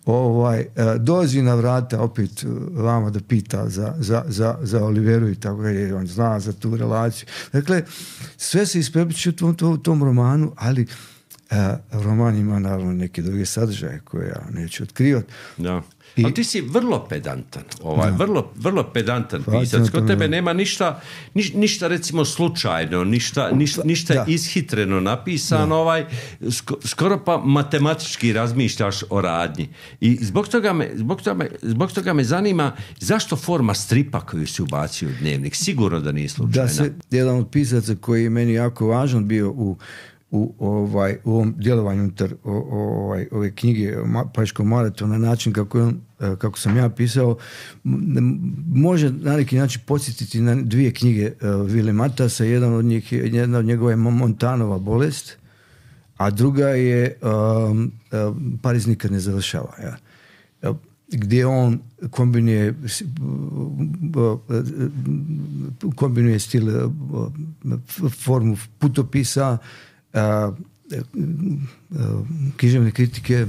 S2: Ovaj, dođi na vrata opet vama da pita za, za, za, za Oliveru i tako dalje. On zna za tu relaciju. Dakle, sve se isprepliče u tom, tom, tom romanu, ali Uh, roman ima naravno neke druge sadržaje koje ja neću otkrivati.
S1: Da. I, ali ti si vrlo pedantan, ovaj, vrlo, vrlo pedantan pisac. Kod tebe nema ništa, niš, ništa recimo slučajno, ništa, niš, ništa da. ishitreno napisano, ovaj, sk- skoro pa matematički razmišljaš o radnji. I zbog toga me, zbog toga me, zbog toga me zanima zašto forma stripa koju si ubacio u dnevnik, sigurno da nije slučajna.
S2: Da se, jedan od pisaca koji je meni jako važan bio u u ovaj u ovom djelovanju unutar ovaj ove knjige Pariškog maratona, na način kako on, kako sam ja pisao, može na neki način podsjetiti na dvije knjige Vile Matasa. Jedan od njih, jedna od njegova je Montanova bolest, a druga je um, um, Pariz nikad ne završava. Ja. Gdje on kombinuje kombinuje stil, formu putopisa, Uh, uh, književne kritike,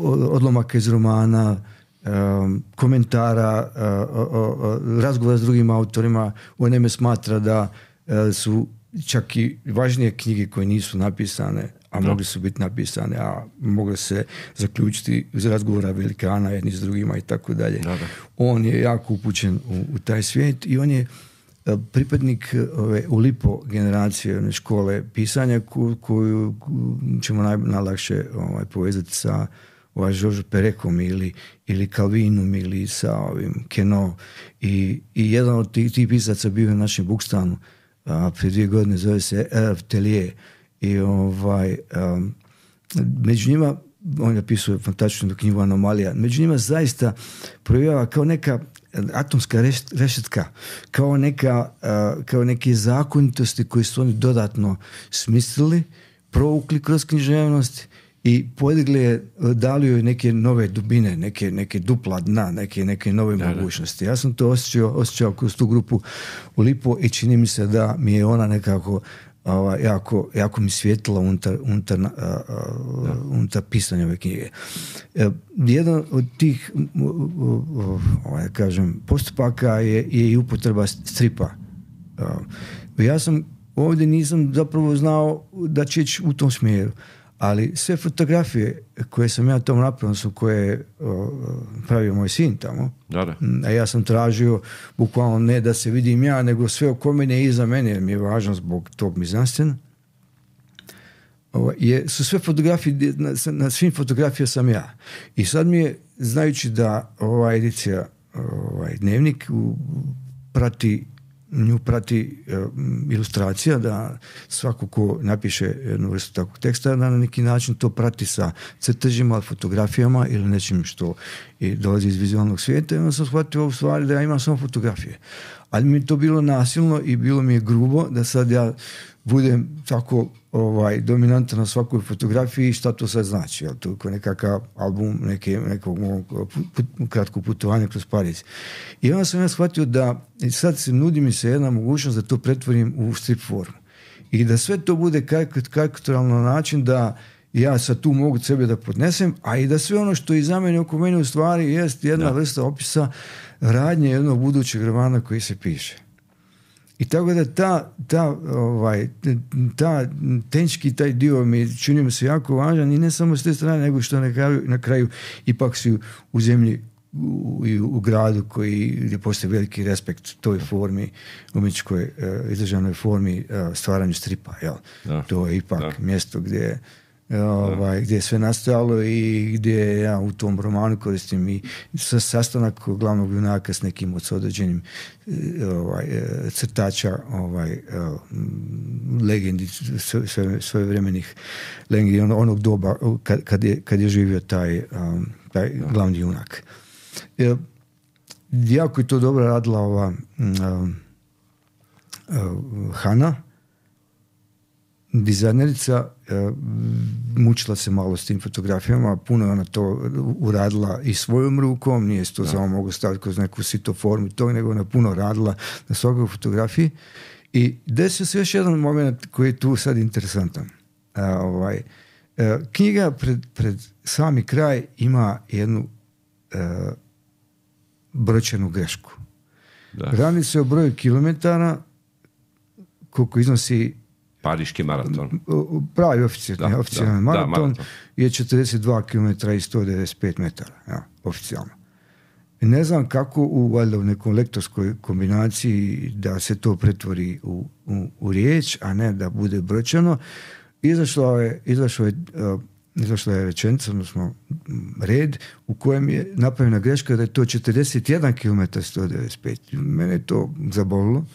S2: odlomaka iz romana, um, komentara, uh, uh, uh, razgovora s drugim autorima. On naime smatra da uh, su čak i važnije knjige koje nisu napisane, a no. mogli su biti napisane, a mogle se zaključiti iz razgovora velikana jedni s drugima i tako dalje. On je jako upućen u, u taj svijet i on je pripadnik ove Ulipo generacije one škole pisanja koju, koju ćemo naj, najlakše ovaj, povezati sa ovaj, Georges Perecom ili, ili Calvinom ili sa ovim Queneau. I, i jedan od tih, tih pisaca bio u našem Bukstanu a, prije dvije godine, zove se Hervé Tellier. I ovaj, um, među njima on napisuje fantastičnu knjigu Anomalija, među njima zaista projavljava kao neka atomska reš, rešetka, kao, neka, uh, kao neke zakonitosti koje su oni dodatno smislili, provukli kroz književnost i podigli je, dali joj neke nove dubine, neke, neke dupla dna, neke, neke nove da, mogućnosti. Ja sam to osjećao, osjećao kroz tu grupu u Lipo i čini mi se da mi je ona nekako Ova, jako, jako mi svijetila unutar, unutar, uh, uh, unutar pisanja ove knjige. Uh, jedan od tih uh, uh, uh, kažem, postupaka je, je i upotreba stripa. Uh, ja sam ovdje nisam zapravo znao da će ići u tom smjeru, ali sve fotografije koje sam ja tom napravio su koje je uh, pravio moj sin tamo. Da, da. A ja sam tražio bukvalno ne da se vidim ja, nego sve oko mene i iza mene, jer mi je važno zbog tog mizanscena. Je, su sve fotografije, na, na svim fotografija sam ja. I sad mi je, znajući da ova edicija, ovaj dnevnik u, prati nju prati uh, ilustracija, da svako ko napiše jednu vrstu takvog teksta, da na neki način to prati sa crtežima, fotografijama ili nečim što i dolazi iz vizualnog svijeta, i onda sam shvatio u stvari da ja imam samo fotografije. Ali mi je to bilo nasilno i bilo mi je grubo da sad ja budem tako ovaj, dominantan na svakoj fotografiji i šta to sad znači. Jel, to je nekakav album neke, nekog put, kratkog putovanja kroz Pariz. I onda sam ja shvatio da sad se nudi mi se jedna mogućnost da to pretvorim u strip formu. I da sve to bude karikaturalno na način da ja sad tu mogu sebe da podnesem, a i da sve ono što iza mene oko mene u stvari jest jedna da. vrsta opisa radnje jednog budućeg romana koji se piše. I tako da ta, ta, ovaj, ta tenčki taj dio mi čini mi se jako važan i ne samo s te strane, nego što na kraju, na kraju ipak su u zemlji u, u gradu koji, gdje postoji veliki respekt toj formi, umjetničkoj uh, izdržanoj formi uh, stvaranju stripa. Jel? To je ipak da. mjesto gdje Ovaj, gdje je sve nastojalo i gdje ja u tom romanu koristim i sastanak glavnog junaka s nekim od određenim ovaj, crtača ovaj, legendi sve, svojevremenih legendi onog doba kad, kad, je, kad je živio taj, um, taj glavni junak. E, jako je to dobro radila ova um, uh, Hana, dizajnerica, uh, mučila se malo s tim fotografijama, puno je ona to uradila i svojom rukom, nije se to samo mogu staviti kroz neku sito formu tog, nego ona puno radila na svakoj fotografiji. I desio se još jedan moment koji je tu sad interesantan. Uh, ovaj, uh, knjiga pred, pred sami kraj ima jednu uh, brojčanu grešku. Da. Radi se o broju kilometara koliko iznosi
S1: Pariški maraton.
S2: Pravi oficijalni, oficijalni maraton, da, maraton je četrdeset dva kilometra i sto devedeset pet metara. Ja, oficijalno. I ne znam kako u, valjda, u nekom lektorskoj kombinaciji da se to pretvori u, u, u riječ, a ne da bude brojčano. Izašla je, izašla je, uh, izašla je rečenica, odnosno red, u kojem je napravljena greška da je to četrdeset jedan kilometar sto devedeset pet. Mene je to zabolilo.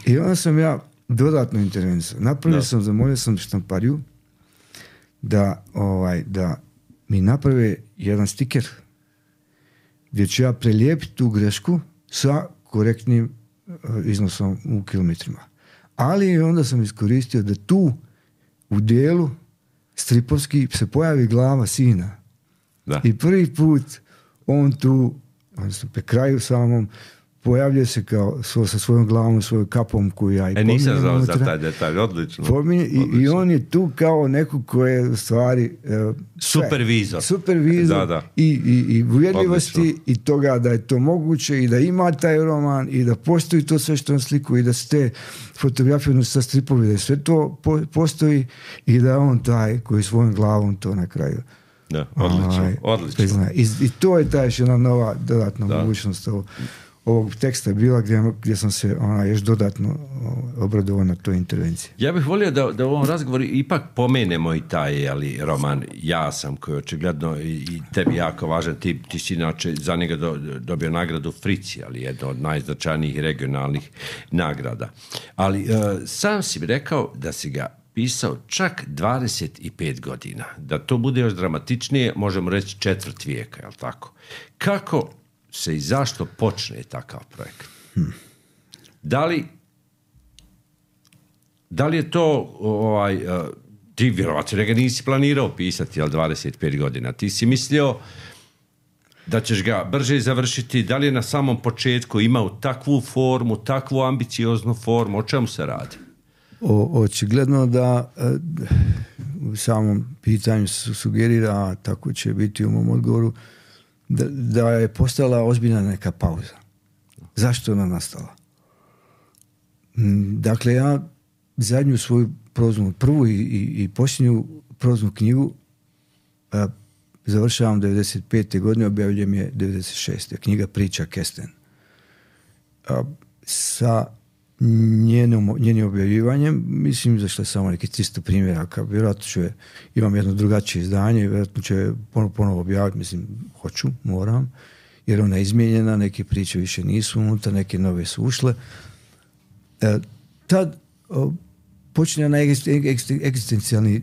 S2: I onda sam ja dodatno intervenciju. Napravio sam, zamolio sam štampariju da, ovaj, da mi naprave jedan stiker gdje ću ja prelijepiti tu grešku sa korektnim uh, iznosom u kilometrima. Ali onda sam iskoristio da tu u dijelu stripovski se pojavi glava sina. Da. I prvi put on tu, odnosno pe kraju samom, pojavljuje se kao svo, sa svojom glavom, svojom kapom koju ja i pominjem. E, nisam znao za taj detalj, odlično. Pominje, odlično. I, I on je tu kao neko ko je u stvari uh,
S1: supervizor.
S2: Supervizor da, da. I, i, i uvjerljivosti odlično. I toga da je to moguće i da ima taj roman i da postoji to sve što on sliku i da se te fotografije sa stripovi, da sve to po, postoji i da on taj koji svojom glavom to na kraju.
S1: Da, odlično. Aj, odlično.
S2: I, I to je ta još jedna nova dodatna da. mogućnost ovo. ovog teksta je bila gdje, gdje sam se ona još dodatno obradovao na toj intervenciji.
S1: Ja bih volio da, da u ovom razgovoru ipak pomenemo i taj ali, roman Ja sam, koji je očigledno i, i tebi jako važan. Ti, ti si inače za njega do, dobio nagradu Frici, ali jedno od najznačajnijih regionalnih nagrada. Ali uh, sam si rekao da si ga pisao čak dvadeset pet godina. Da to bude još dramatičnije, možemo reći četvrt vijeka, je li tako? Kako se i zašto počne takav projekat? Hmm. Da li, da li je to, ovaj, ti vjerovatno ga nisi planirao pisati, jel, dvadeset pet godina? Ti si mislio da ćeš ga brže završiti, da li je na samom početku imao takvu formu, takvu ambicioznu formu, o čemu se radi?
S2: O, očigledno da e, u samom pitanju su sugerira, a tako će biti u mom odgovoru, da, da je postala ozbiljna neka pauza. Zašto je ona nastala? Dakle, ja zadnju svoju proznu, prvu i, i, i posljednju proznu knjigu a, završavam devedeset pete godine, objavljujem je devedeset šeste knjiga Priča Kesten. A, sa njenom, njenim objavljivanjem, mislim, izašlo je samo neki tristo primjeraka, vjerojatno ću je, imam jedno drugačije izdanje, vjerojatno ću je ponovo, ponovo objaviti, mislim, hoću, moram, jer ona je izmijenjena, neke priče više nisu unutra, neke nove su ušle. E, tad o, počinje na egzistencijalni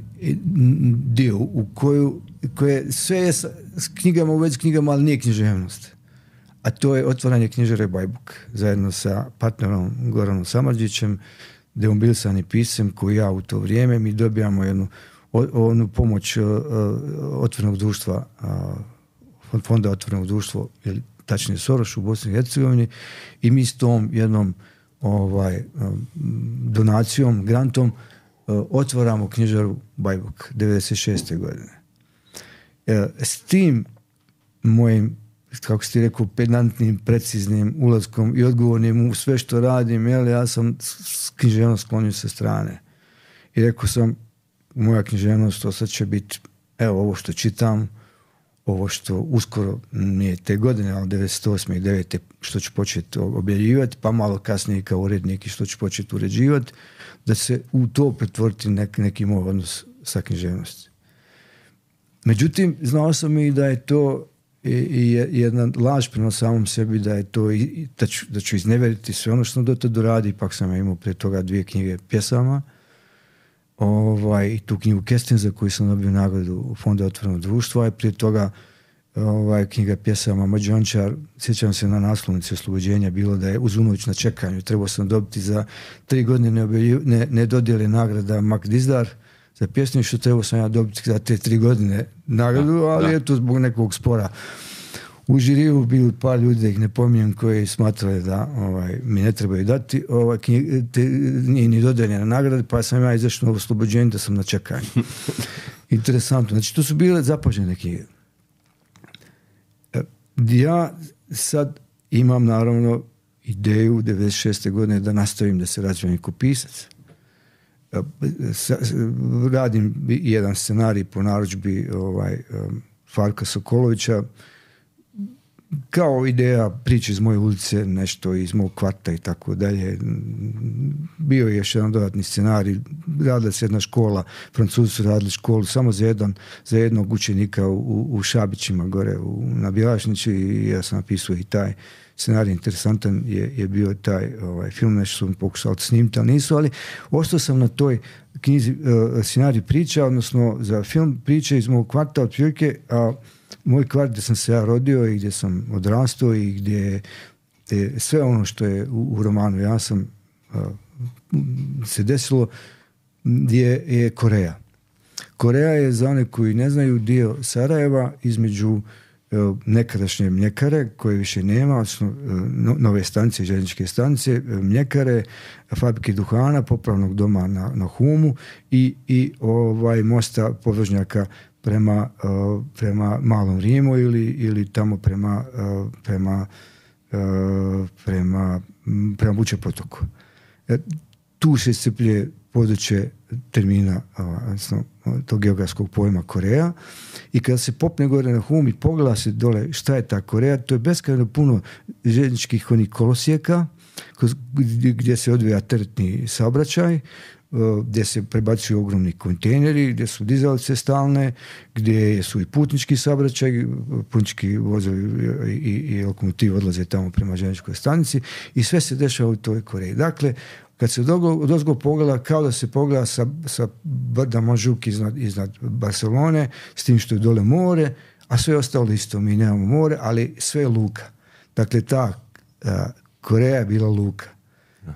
S2: dio u koju, koje sve je s, s knjigama u vezi s knjigama, ali nije književnost. A to je otvaranje knjižare Bajbuk zajedno sa partnerom Goranom Samardžićem, demobilisani pisem koji ja u to vrijeme mi dobijamo jednu onu pomoć uh, otvorenog društva, uh, fonda otvorenog društva, ili tačnije Soroš u Bosni i Hercegovini, i mi s tom jednom ovaj, um, donacijom, grantom uh, otvaramo knjižaru Bajbuk devedeset šeste godine. Uh, s tim mojim, kako ste rekao, pedantnim, preciznim ulaskom i odgovornim u sve što radim, jel, ja sam književnost sklonio sa strane. I rekao sam, moja književnost to sad će biti, evo, ovo što čitam, ovo što uskoro, nije te godine, ali devedeset osme i devete što ću početi objavljivati, pa malo kasnije kao urednik i što ću početi uređivati, da se u to pretvoriti nek, neki moj odnos sa književnosti. Međutim, znao sam i da je to i, i jedna laž prema samom sebi, da je to i, da, ću, da ću izneveriti sve ono što sam do tada radi. Ipak sam imao prije toga dvije knjige pjesama, ovaj, i tu knjigu Kesten za koju sam dobio nagradu u Fonda otvorenog društva, i prije toga ovaj, knjiga pjesama Mađončar. Sjećam se na naslovnici Oslobođenja bilo da je Uz unoć na čekanju. Trebao sam dobiti za tri godine ne, ne, ne dodijeli nagrada Mak Dizdar za pjesmu, što trebao sam ja dobiti za te tri godine nagradu, da, ali da. Je to zbog nekog spora. U žiriju bili par ljudi, da ih ne pominjem, koji smatrali da ovaj, mi ne trebaju dati ovaj, knjig, te, nije ni dodeljena nagrada, pa sam ja izašao na Oslobođenje da sam na čekanju. Interesantno. Znači, to su bile zapažene knjige. Ja sad imam, naravno, ideju devedeset šeste godine da nastavim da se razvijem kao pisac. Radim jedan scenarij po narudžbi ovaj, Farka Sokolovića, kao ideja priče iz moje ulice, nešto iz mog kvarta i tako dalje. Bio je još jedan dodatni scenarij, radila se jedna škola, Francuzi su radili školu samo za, jedan, za jednog učenika u, u Šabićima gore u, na Bjelašnici, i ja sam napisao i taj scenarij. Interesantan je, je bio taj ovaj, film, nešto su mi pokušali snimiti, ali nisu, ali ostao sam na toj knjizi uh, scenarij priča, odnosno za film priče iz mog kvarta otprilike, a moj kvart gdje sam se ja rodio i gdje sam odrastao i gdje je sve ono što je u, u romanu ja sam uh, se desilo, gdje je Koreja. Koreja je, za one koji ne znaju, dio Sarajeva između nekadašnje mljekare koje više nema, odnosno nove stanice, željezničke stanice, mljekare, fabrike duhana, popravnog doma na, na Humu i, i ovaj mosta podvožnjaka prema, uh, prema Malom Rimu ili, ili tamo prema uh, prema uh, prema prema Buče potoku. E, tu se iscrpljuje područje termina, odnosno tog geografskog pojma Koreja, i kada se popne gore na Hum i pogleda se dole šta je ta Koreja, to je beskrajno puno željezničkih onih kolosijeka gdje se odvija teretni saobraćaj, gdje se prebacuju ogromni kontejneri, gdje su dizalice stalne, gdje su i putnički saobraćaj, putnički vozovi i, i, i lokomotivi odlaze tamo prema željezničkoj stanici, i sve se dešava u toj Koreji. Dakle, kad se odozgo pogleda kao da se pogleda sa, sa brda Montjuic iznad, iznad Barcelone, s tim što je dole more, a sve ostalo isto, mi nemamo more, ali sve je luka. Dakle, ta a, Koreja je bila luka.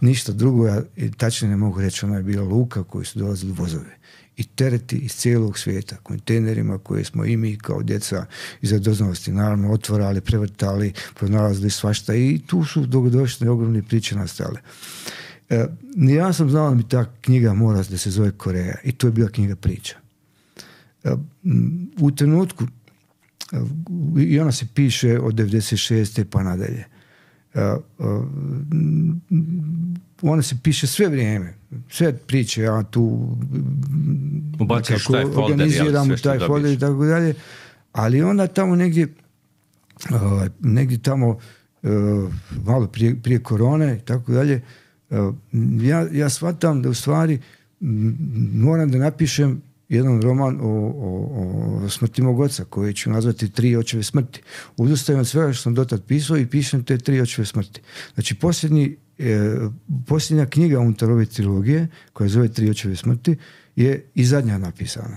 S2: Ništa drugo, ja tačno ne mogu reći, ona je bila luka koju su dolazili vozove. I tereti iz cijelog svijeta, kontejnerima koje smo i mi kao djeca iz radoznalosti naravno otvarali, prevrtali, pronalazili svašta i tu su dogodošle ogromne priče nastale. E, ja sam znao da mi ta knjiga mora da se zove Koreja i to je bila knjiga priča. E, u trenutku e, i ona se piše od devedeset šeste pa nadalje. Uh, uh, ona se piše sve vrijeme, sve priče, ja tu
S1: ubaciš taj folder,
S2: organiziram
S1: jel,
S2: taj folder i tako dalje, ali onda tamo negdje uh, negdje tamo uh, malo prije, prije korone i tako dalje, uh, ja, ja shvatam da u stvari m, moram da napišem jedan roman o, o, o smrti mog oca, koji ću nazvati Tri očeve smrti. Odustajem od svega što sam dotad pisao i pišem te Tri očeve smrti. Znači, posljednji, e, posljednja knjiga unutar ove trilogije, koja zove Tri očeve smrti, je i zadnja napisana.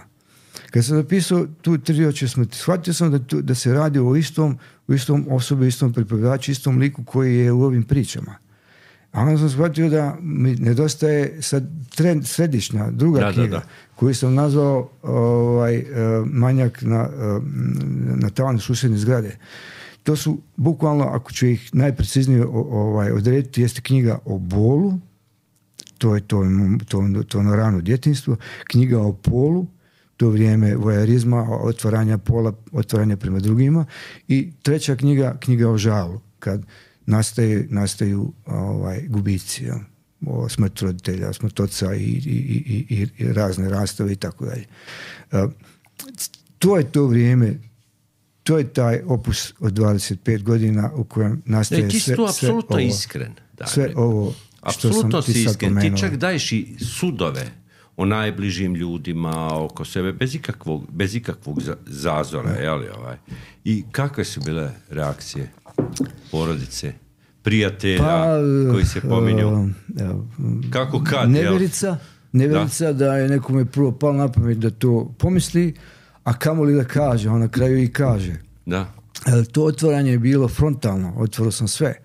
S2: Kad sam napisao tu Tri očeve smrti, shvatio sam da, tu, da se radi o istom, o istom osobi, istom pripovjedaču, istom liku koji je u ovim pričama. A onda sam shvatio da mi nedostaje sad trend, središnja, druga da, knjiga, da, da. koju sam nazvao ovaj, Manjak na, na tavanu susjedne zgrade. To su, bukvalno, ako ću ih najpreciznije ovaj, odrediti, jeste knjiga o bolu, to je to, to, to ono rano djetinjstvo, knjiga o polu, to vrijeme vojarizma, otvaranja pola, otvaranja prema drugima, i treća knjiga, knjiga o žalu, kad Nastaje, nastaju ovaj, gubici, ja, o smrt roditelja, smrt oca i, i, i, i razne rastave i tako dalje. To je to vrijeme, to je taj opus od dvadeset pet godina u kojem nastaje
S1: ne, ti
S2: sve,
S1: tu apsolutno
S2: sve
S1: iskren. Da,
S2: sve ovo što
S1: apsolutno
S2: sam ti sad
S1: iskren.
S2: pomenuo.
S1: Ti čak daješ i sudove o najbližim ljudima oko sebe, bez ikakvog, bez ikakvog zazora. Jeli, ovaj. I kakve su bile reakcije porodice, prijatelja pa, koji se pominju? Uh, Kako kad?
S2: Neverica, neverica da? da je nekome prvo palo na pamet da to pomisli, a kamoli da kaže, on na kraju i kaže.
S1: Da.
S2: Ali to otvaranje je bilo frontalno, otvorao sam sve.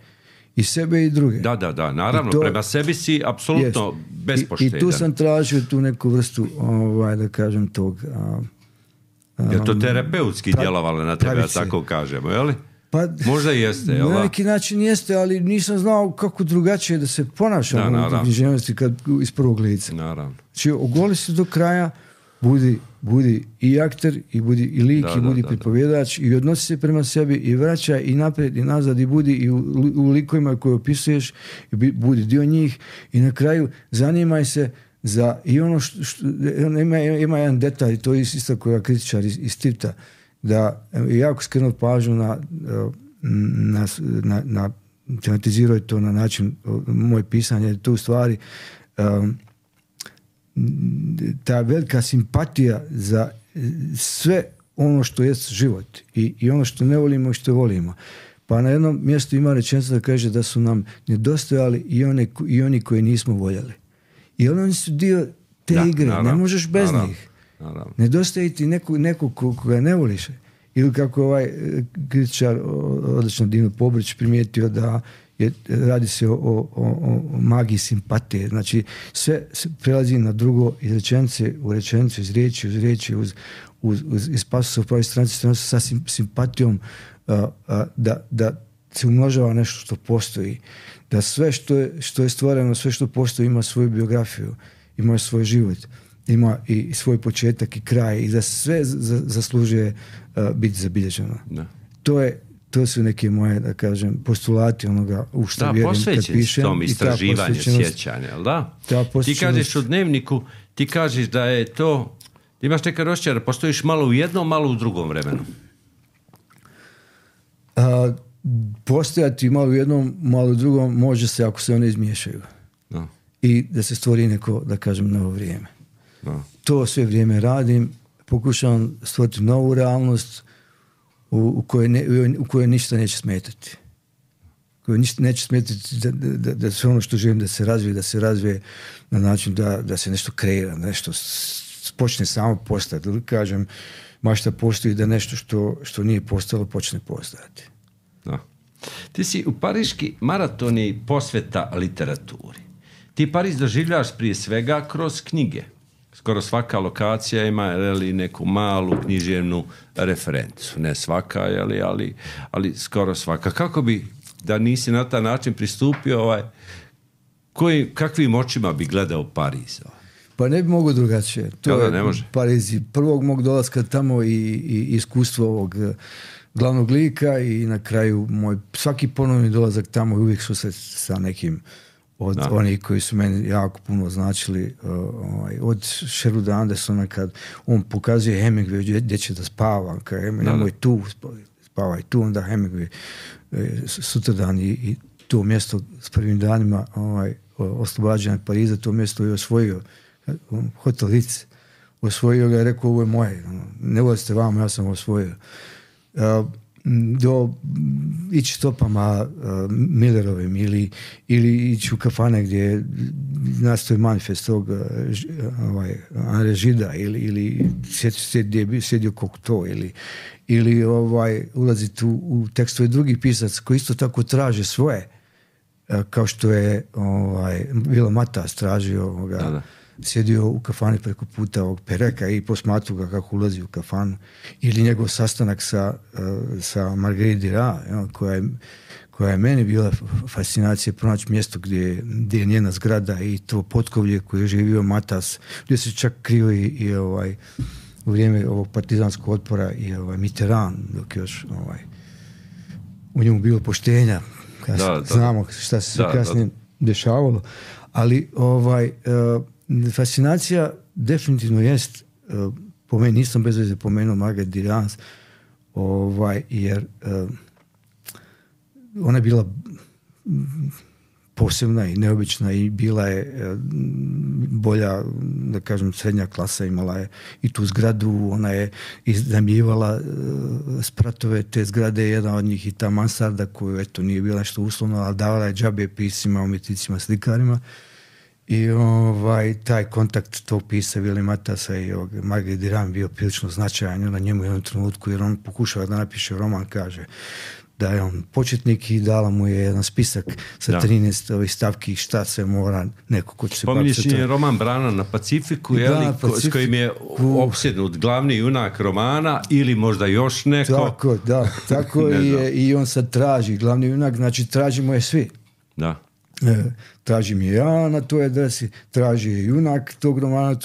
S2: I sebe i druge.
S1: Da, da, da, naravno, to, prema sebi si apsolutno yes. bespoštedan.
S2: I, I tu sam tražio tu neku vrstu, ovaj, da kažem, tog... A, a,
S1: je to terapeutski pra, djelovalo na tebe, da tako kažemo, je li?
S2: Pa,
S1: možda jeste, jel da?
S2: Na neki način jeste, ali nisam znao kako drugačije da se ponašam u književnosti kad iz prvog lica.
S1: Naravno.
S2: Znači, ogoli se do kraja, budi, budi i akter, i budi i lik, da, i budi da, pripovjedač, da. I odnosi se prema sebi, i vraća, i naprijed, i nazad, i budi i u, u likovima koje opisuješ, i budi dio njih, i na kraju zanimaj se za i ono što, što ima, ima jedan detalj, to je isto koja kritičar iz, iz Tivta, da je jako skrenuo pažnju na, na, na, na tematizirao to na način moje pisanje, to u stvari um, ta velika simpatija za sve ono što je život i, i ono što ne volimo i što volimo. Pa na jednom mjestu ima rečenica da kaže da su nam nedostajali i, one, i oni koji nismo voljeli. I oni su dio te da, igre, naravno, ne možeš bez naravno. njih. Naravno. Nedostaje ti neko, neko koga ne voliš. Ili kako je ovaj kritičar, odlično Dino Pobrić, primijetio da je, radi se o, o, o magiji simpatije. Znači, sve prelazi na drugo iz rečenice u rečenicu, iz riječi uz riječi, uz, uz, uz, iz pasusa u pravoj stranici, stranicu sa sim, simpatijom uh, uh, da, da se umnožava nešto što postoji. Da sve što je, što je stvoreno, sve što postoji ima svoju biografiju, ima svoj život, ima i svoj početak i kraj i da sve z- zaslužuje uh, biti zabilježeno. Da. To je to su neke moje, da kažem, postulati onoga u što
S1: da,
S2: vjerujem kad pišem.
S1: Da, tom istraživanje, sjećanje, jel da? Ti kažeš u dnevniku, ti kažeš da je to, ti imaš neka osjećaj da postojiš malo u jednom, malo u drugom vremenu.
S2: A, postojati malo u jednom, malo u drugom može se ako se one izmiješaju. Da. I da se stvori neko, da kažem, novo vrijeme. Da. To sve vrijeme radim, pokušavam stvoriti novu realnost u, u, kojoj ne, u kojoj ništa neće smetati. koji neće smetiti da, da, da sve ono što želim da se razvije, da se razvije na način da, da se nešto kreira, nešto počne samo postati. Ili kažem, mašta postoji da nešto što, što nije postalo počne postojati.
S1: Da. Ti si u Pariški maraton i posveta literaturi. Ti Pariz doživljaš prije svega kroz knjige. Skoro svaka lokacija ima jeli, neku malu književnu referencu. Ne svaka, jeli, ali, ali skoro svaka. Kako bi, da nisi na taj način pristupio, ovaj, koji, kakvim očima bi gledao Pariz?
S2: Pa ne bi mogo drugačije. To
S1: ja, da,
S2: je
S1: ne može.
S2: Pariz prvog mog dolaska tamo i, i iskustvo ovog glavnog lika i na kraju moj svaki ponovni dolazak tamo i uvijek su se sa nekim od da. Onih koji su meni jako puno značili, uh, ovaj, od Sheruda Andersona kad on pokazuje Hemingway gdje će da spava, kad Hemingway, nemoj tu, spavaj tu, onda Hemingway e, sutradan i, i to mjesto s prvim danima ovaj, oslobađanja Pariza, to mjesto je osvojio Hotel Ritz, osvojio ga i rekao ovo je moje, ne vozite vama, ja sam osvojio. Uh, do ići stopama uh, Millerovim ili, ili ići u kafane gdje nastoji manifest tog uh, ovaj, André Gida ili, ili sjedi gdje je sjedio Cocteau ili, ili ovaj, ulaziti u, u tekstove drugih pisaca koji isto tako traže svoje, uh, kao što je ovaj, Vila Matas tražio ovoga, da, da. Sjedio u kafani preko puta ovog Pereka i posmatru ga kako ulazi u kafanu. Ili njegov sastanak sa, uh, sa Marguerite Duras, ja, koja, je, koja je meni bila fascinacija pronaći mjesto gdje, gdje je njena zgrada i to potkovlje koje je živio Matas, gdje se čak krio i, i ovaj, u vrijeme ovog partizanskog otpora i ovaj, Mitterrand, dok još ovaj, u njemu bilo poštenja. Da, da, znamo šta se sve kasnije dešavalo. Ali ovaj... Uh, fascinacija definitivno jest, uh, po meni, nisam bez veze pomenuo Marguerite Duras, ovaj, jer uh, ona je bila posebna i neobična i bila je uh, bolja, da kažem, srednja klasa, imala je i tu zgradu, ona je iznajmljivala uh, spratove te zgrade, jedna od njih i ta mansarda koju, eto, nije bila nešto uslovno, ali davala je džabe piscima, umjetnicima, slikarima. I ovaj, taj kontakt tog pisa Vili Matasa i Marguerite Duras bio prilično značajan na njemu u jednom trenutku, jer on pokušava da napiše roman, kaže da je on početnik i dala mu je jedan spisak sa da. trinaest ovih stavki šta se mora neko ko će se...
S1: Pominješ je roman Brana na Pacifiku, je li, Pacifiku, s kojim je opsjednut glavni junak romana ili možda još neko...
S2: Tako, da, tako je, i on sad traži glavni junak, znači tražimo je svi.
S1: Da.
S2: E, tražim je ja na toj adresi, traži je junak tog romana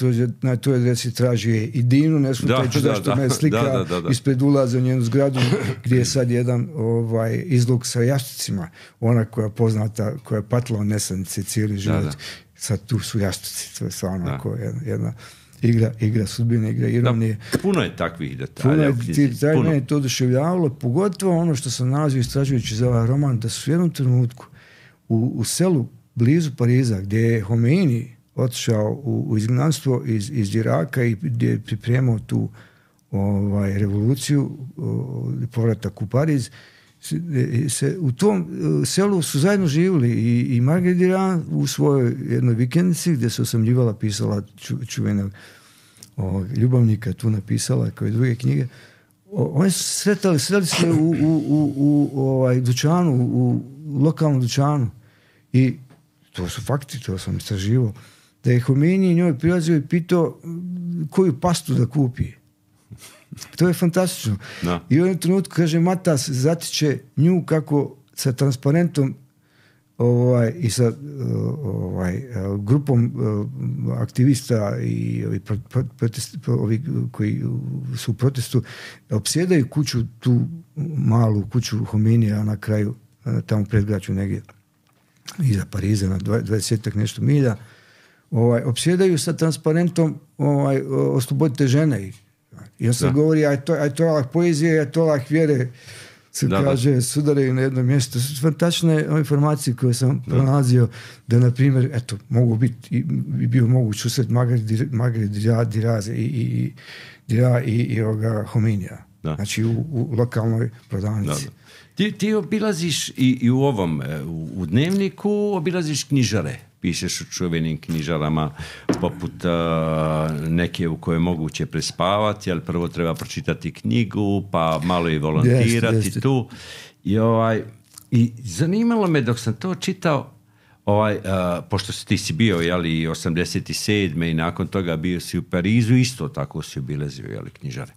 S2: na toj adresi, traži je i Dinu, ne smutajući da, što da, me slika da, da, da. ispred ulaza u njenu zgradu gdje je sad jedan ovaj, izlog sa jastucima, ona koja je poznata, koja je patila od nesanice cijeli život, da, da. Sad tu su jastuci, to je stvarno jedna, jedna igra, igra sudbine, igra ironije.
S1: Da, puno je takvih detalja.
S2: Puno je, mene to oduševljavalo, pogotovo ono što sam nalazio istražujući za ovaj roman, da su u jednom trenutku U, u selu blizu Pariza gdje je Homeini otišao u, u izgnanstvo iz, iz Iraka i gdje je pripremao tu ovaj, revoluciju, o, povratak u Pariz, se, se, u tom selu su zajedno živjeli i, i Marguerite Duras u svojoj jednoj vikendici gdje se osamljivala, pisala ču, čuvenog o, ljubavnika, tu napisala kao i druge knjige. O, oni su sretali, sretali se u, u, u, u ovaj, dućanu, u lokalnom dućanu. I to su fakti, to sam istraživao, da je Homeini njoj prilazio i pitao koju pastu da kupi. To je fantastično. Da. I u jednom trenutku, kaže, Matas zatiče nju kako sa transparentom ovaj, i sa ovaj, grupom aktivista i ovi, protest, ovi koji su u protestu opsjedaju kuću, tu malu kuću Homeinija na kraju, tamo predgrađu negdje iza Pariza na dvadesetak nešto milja, ovaj, opsjedaju sa transparentom ovaj, oslobodite žene. I on se da. govori, aj to, aj to Allah poezije, aj to Allah vjere, se da, kaže, da. sudaraju na jedno mjesto. To su fantastične informacije koje sam da. pronalazio, da, na primjer, eto, mogu biti, i, i bio moguć usred Marguerite Duras i, i, i, i, i ovoga Homeinija.
S1: da.
S2: Znači u, u lokalnoj prodavnici.
S1: Da, da. Ti, ti obilaziš i, i u ovom, u, u dnevniku obilaziš knjižare. Pišeš u čuvenim knjižarama poput uh, neke u kojoj je moguće prespavati, ali prvo treba pročitati knjigu, pa malo i volontirati jest, jest. tu. I, ovaj, I zanimalo me dok sam to čitao, ovaj, uh, pošto si ti si bio jeli, osamdeset sedme i nakon toga bio si u Parizu, isto tako si obilazio jeli, knjižare.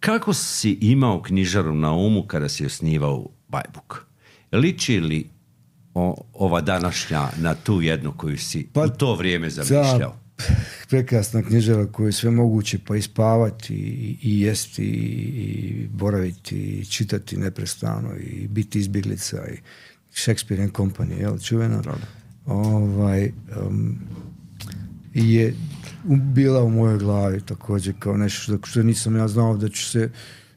S1: Kako si imao knjižaru na umu kada si osnivao Bajbuk? Liči li o, ova današnja na tu jednu koju si pa, u to vrijeme zamišljao?
S2: Prekrasna knjižara koju je sve moguće pa i spavati i, i jesti i boraviti i čitati neprestano i biti izbjeglica i Shakespeare and Company, jel, čuvena? Ovaj, um, je bila u mojoj glavi također kao nešto što nisam ja znao da ću se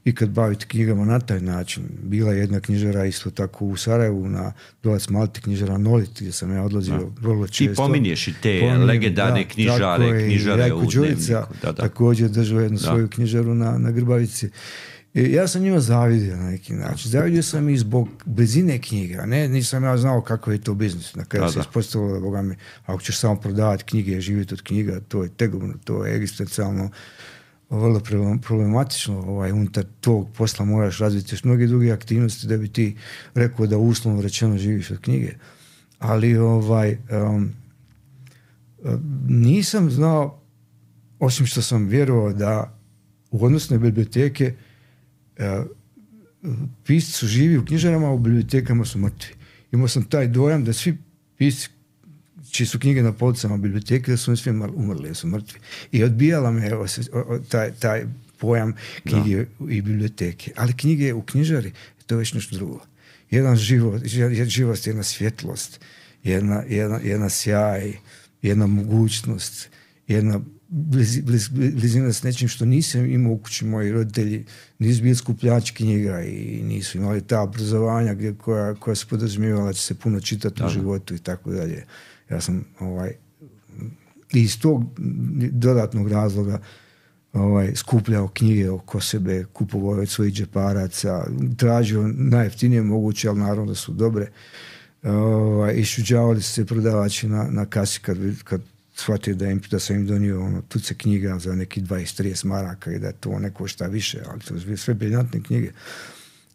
S2: ikad baviti knjigama na taj način. Bila je jedna knjižara isto tako u Sarajevu na Dolac Malti, knjižara Nolit, gdje sam ja odlazio vrlo često.
S1: Ti pominješ i te Pominjem, legendarne da, knjižare, je, knjižare u Dnevniku. Da, da. Također držao jednu da. svoju knjižaru na, na Grbavici. I ja sam njima zavidio na neki način. Zavidio sam i zbog blizine knjiga. Ne, nisam ja znao kako je to biznis. Na kraju se ispostavilo da, Boga mi, ako ćeš samo prodavati knjige i živjeti od knjiga, to je tegobno, to je egzistencijalno vrlo problematično. Ovaj, unutar tog posla moraš razviti još mnoge druge aktivnosti da bi ti rekao da uslovno rečeno živiš od knjige. Ali ovaj, um, nisam znao, osim što sam vjerovao da u odnosu na biblioteke uh, pisci su živi u knjižarama, a u bibliotekama su mrtvi. Imao sam taj dojam da svi pisci čiji su knjige na policama biblioteke, da su oni svi umrli, da su mrtvi. I odbijala me o, o, taj, taj pojam knjige da. i biblioteke. Ali knjige u knjižari, to je već nešto drugo. Jedan život, živost, jedna svjetlost, jedna, jedna, jedna sjaj, jedna mogućnost, jedna bliz, bliz, blizina s nečim što nisam imao u kući. Moji roditelji nisu bili skupljači knjiga i nisu imali ta obrazovanja gdje, koja, koja se podrazumijevala da će se puno čitati da. u životu i tako dalje. Ja sam ovaj, iz tog dodatnog razloga ovaj, skupljao knjige oko sebe, kupovao od svojih džeparaca, tražio najjeftinije moguće, ali naravno da su dobre. Ovaj, išuđavali su se prodavači na, na kasi kad, kad shvatio da, im, da sam im donio ono, tuce knjiga za neki dvadeset trideset maraka i da to ne košta više, ali to su sve briljantne knjige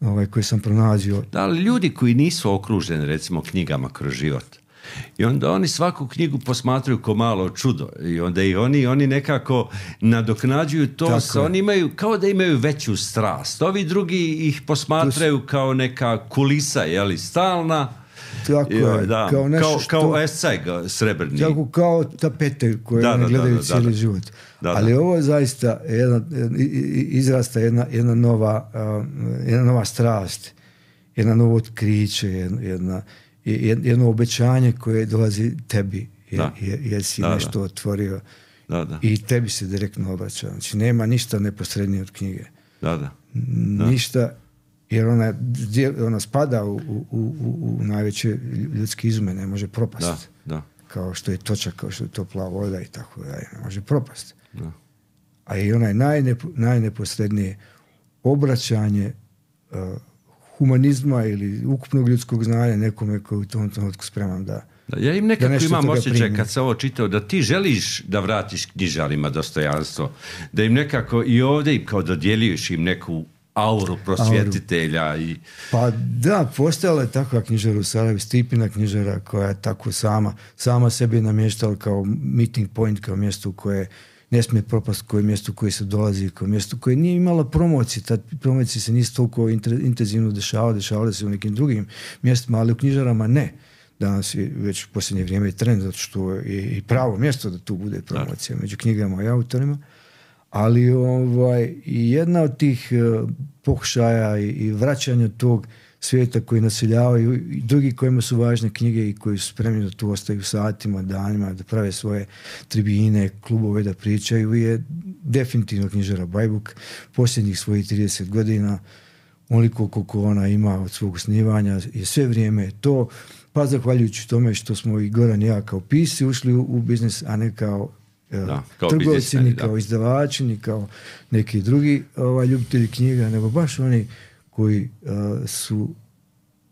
S1: ovaj, koje sam pronalazio. Da, ali ljudi koji nisu okruženi recimo knjigama kroz život, i onda oni svaku knjigu posmatraju ko malo čudo i onda i oni, oni nekako nadoknađuju to, sa, oni imaju, kao da imaju veću strast. Ovi drugi ih posmatraju s... kao neka kulisa, jeli, stalna.
S2: Tako je,
S1: da,
S2: kao nešto
S1: kao,
S2: što...
S1: Kao escaj srebrni.
S2: Tako kao tapete koje da, oni gledaju da, da, cijeli da, da. život. Da, da. Ali ovo je zaista jedna, izrasta jedna, jedna, nova, uh, jedna nova strast, jedna novo otkriće, jedna... jedna jedno obećanje koje dolazi tebi jer, jer si da, nešto da. otvorio da, da. i tebi se direktno obraća. Znači nema ništa neposrednije od knjige.
S1: Da, da.
S2: Da. Ništa, jer ona, ona spada u, u, u, u najveće ljudske izume, ne može propast.
S1: Da, da.
S2: Kao što je točak, kao što je topla voda i tako dalje. Ne može propast.
S1: Da.
S2: A i onaj najnepo, najneposrednije obraćanje uh, humanizma ili ukupnog ljudskog znanja nekome koji u tom trenutku spreman da...
S1: da ja im nekako imam osjećaj kad sam ovo čitao da ti želiš da vratiš knjižarima dostojanstvo, da im nekako i ovdje im kao dodjeljuješ im neku auru prosvjetitelja. Auru. I...
S2: Pa da, postojala je takva knjižara u Sarajevu, Stipina knjižara koja je tako sama, sama sebi namještala kao meeting point, kao mjesto u koje ne smije propast, koje mjesto u koje se dolazi, koje mjesto koje nije imala promocije. Ta promocije se nisu toliko intenzivno dešavale, dešavale se u nekim drugim mjestima, ali u knjižarama ne. Danas je već u posljednje vrijeme trend, zato što je i pravo mjesto da tu bude promocija među knjigama i autorima. Ali ovaj, jedna od tih uh, pokušaja i, i vraćanja tog svijeta koji naseljavaju i drugi kojima su važne knjige i koji su spremni da tu ostaju satima, danima, da prave svoje tribine, klubove, da pričaju, je definitivno knjižara Bajbuk. Posljednjih svojih trideset godina, onoliko koliko ona ima od svog osnivanja, je sve vrijeme to, pa zahvaljujući tome što smo i Goran i ja kao pisci ušli u, u biznis, a ne kao
S1: da, kao
S2: trgovci, ni kao
S1: da.
S2: izdavači, ni kao neki drugi ovaj, ljubitelji knjiga, nego baš oni koji uh, su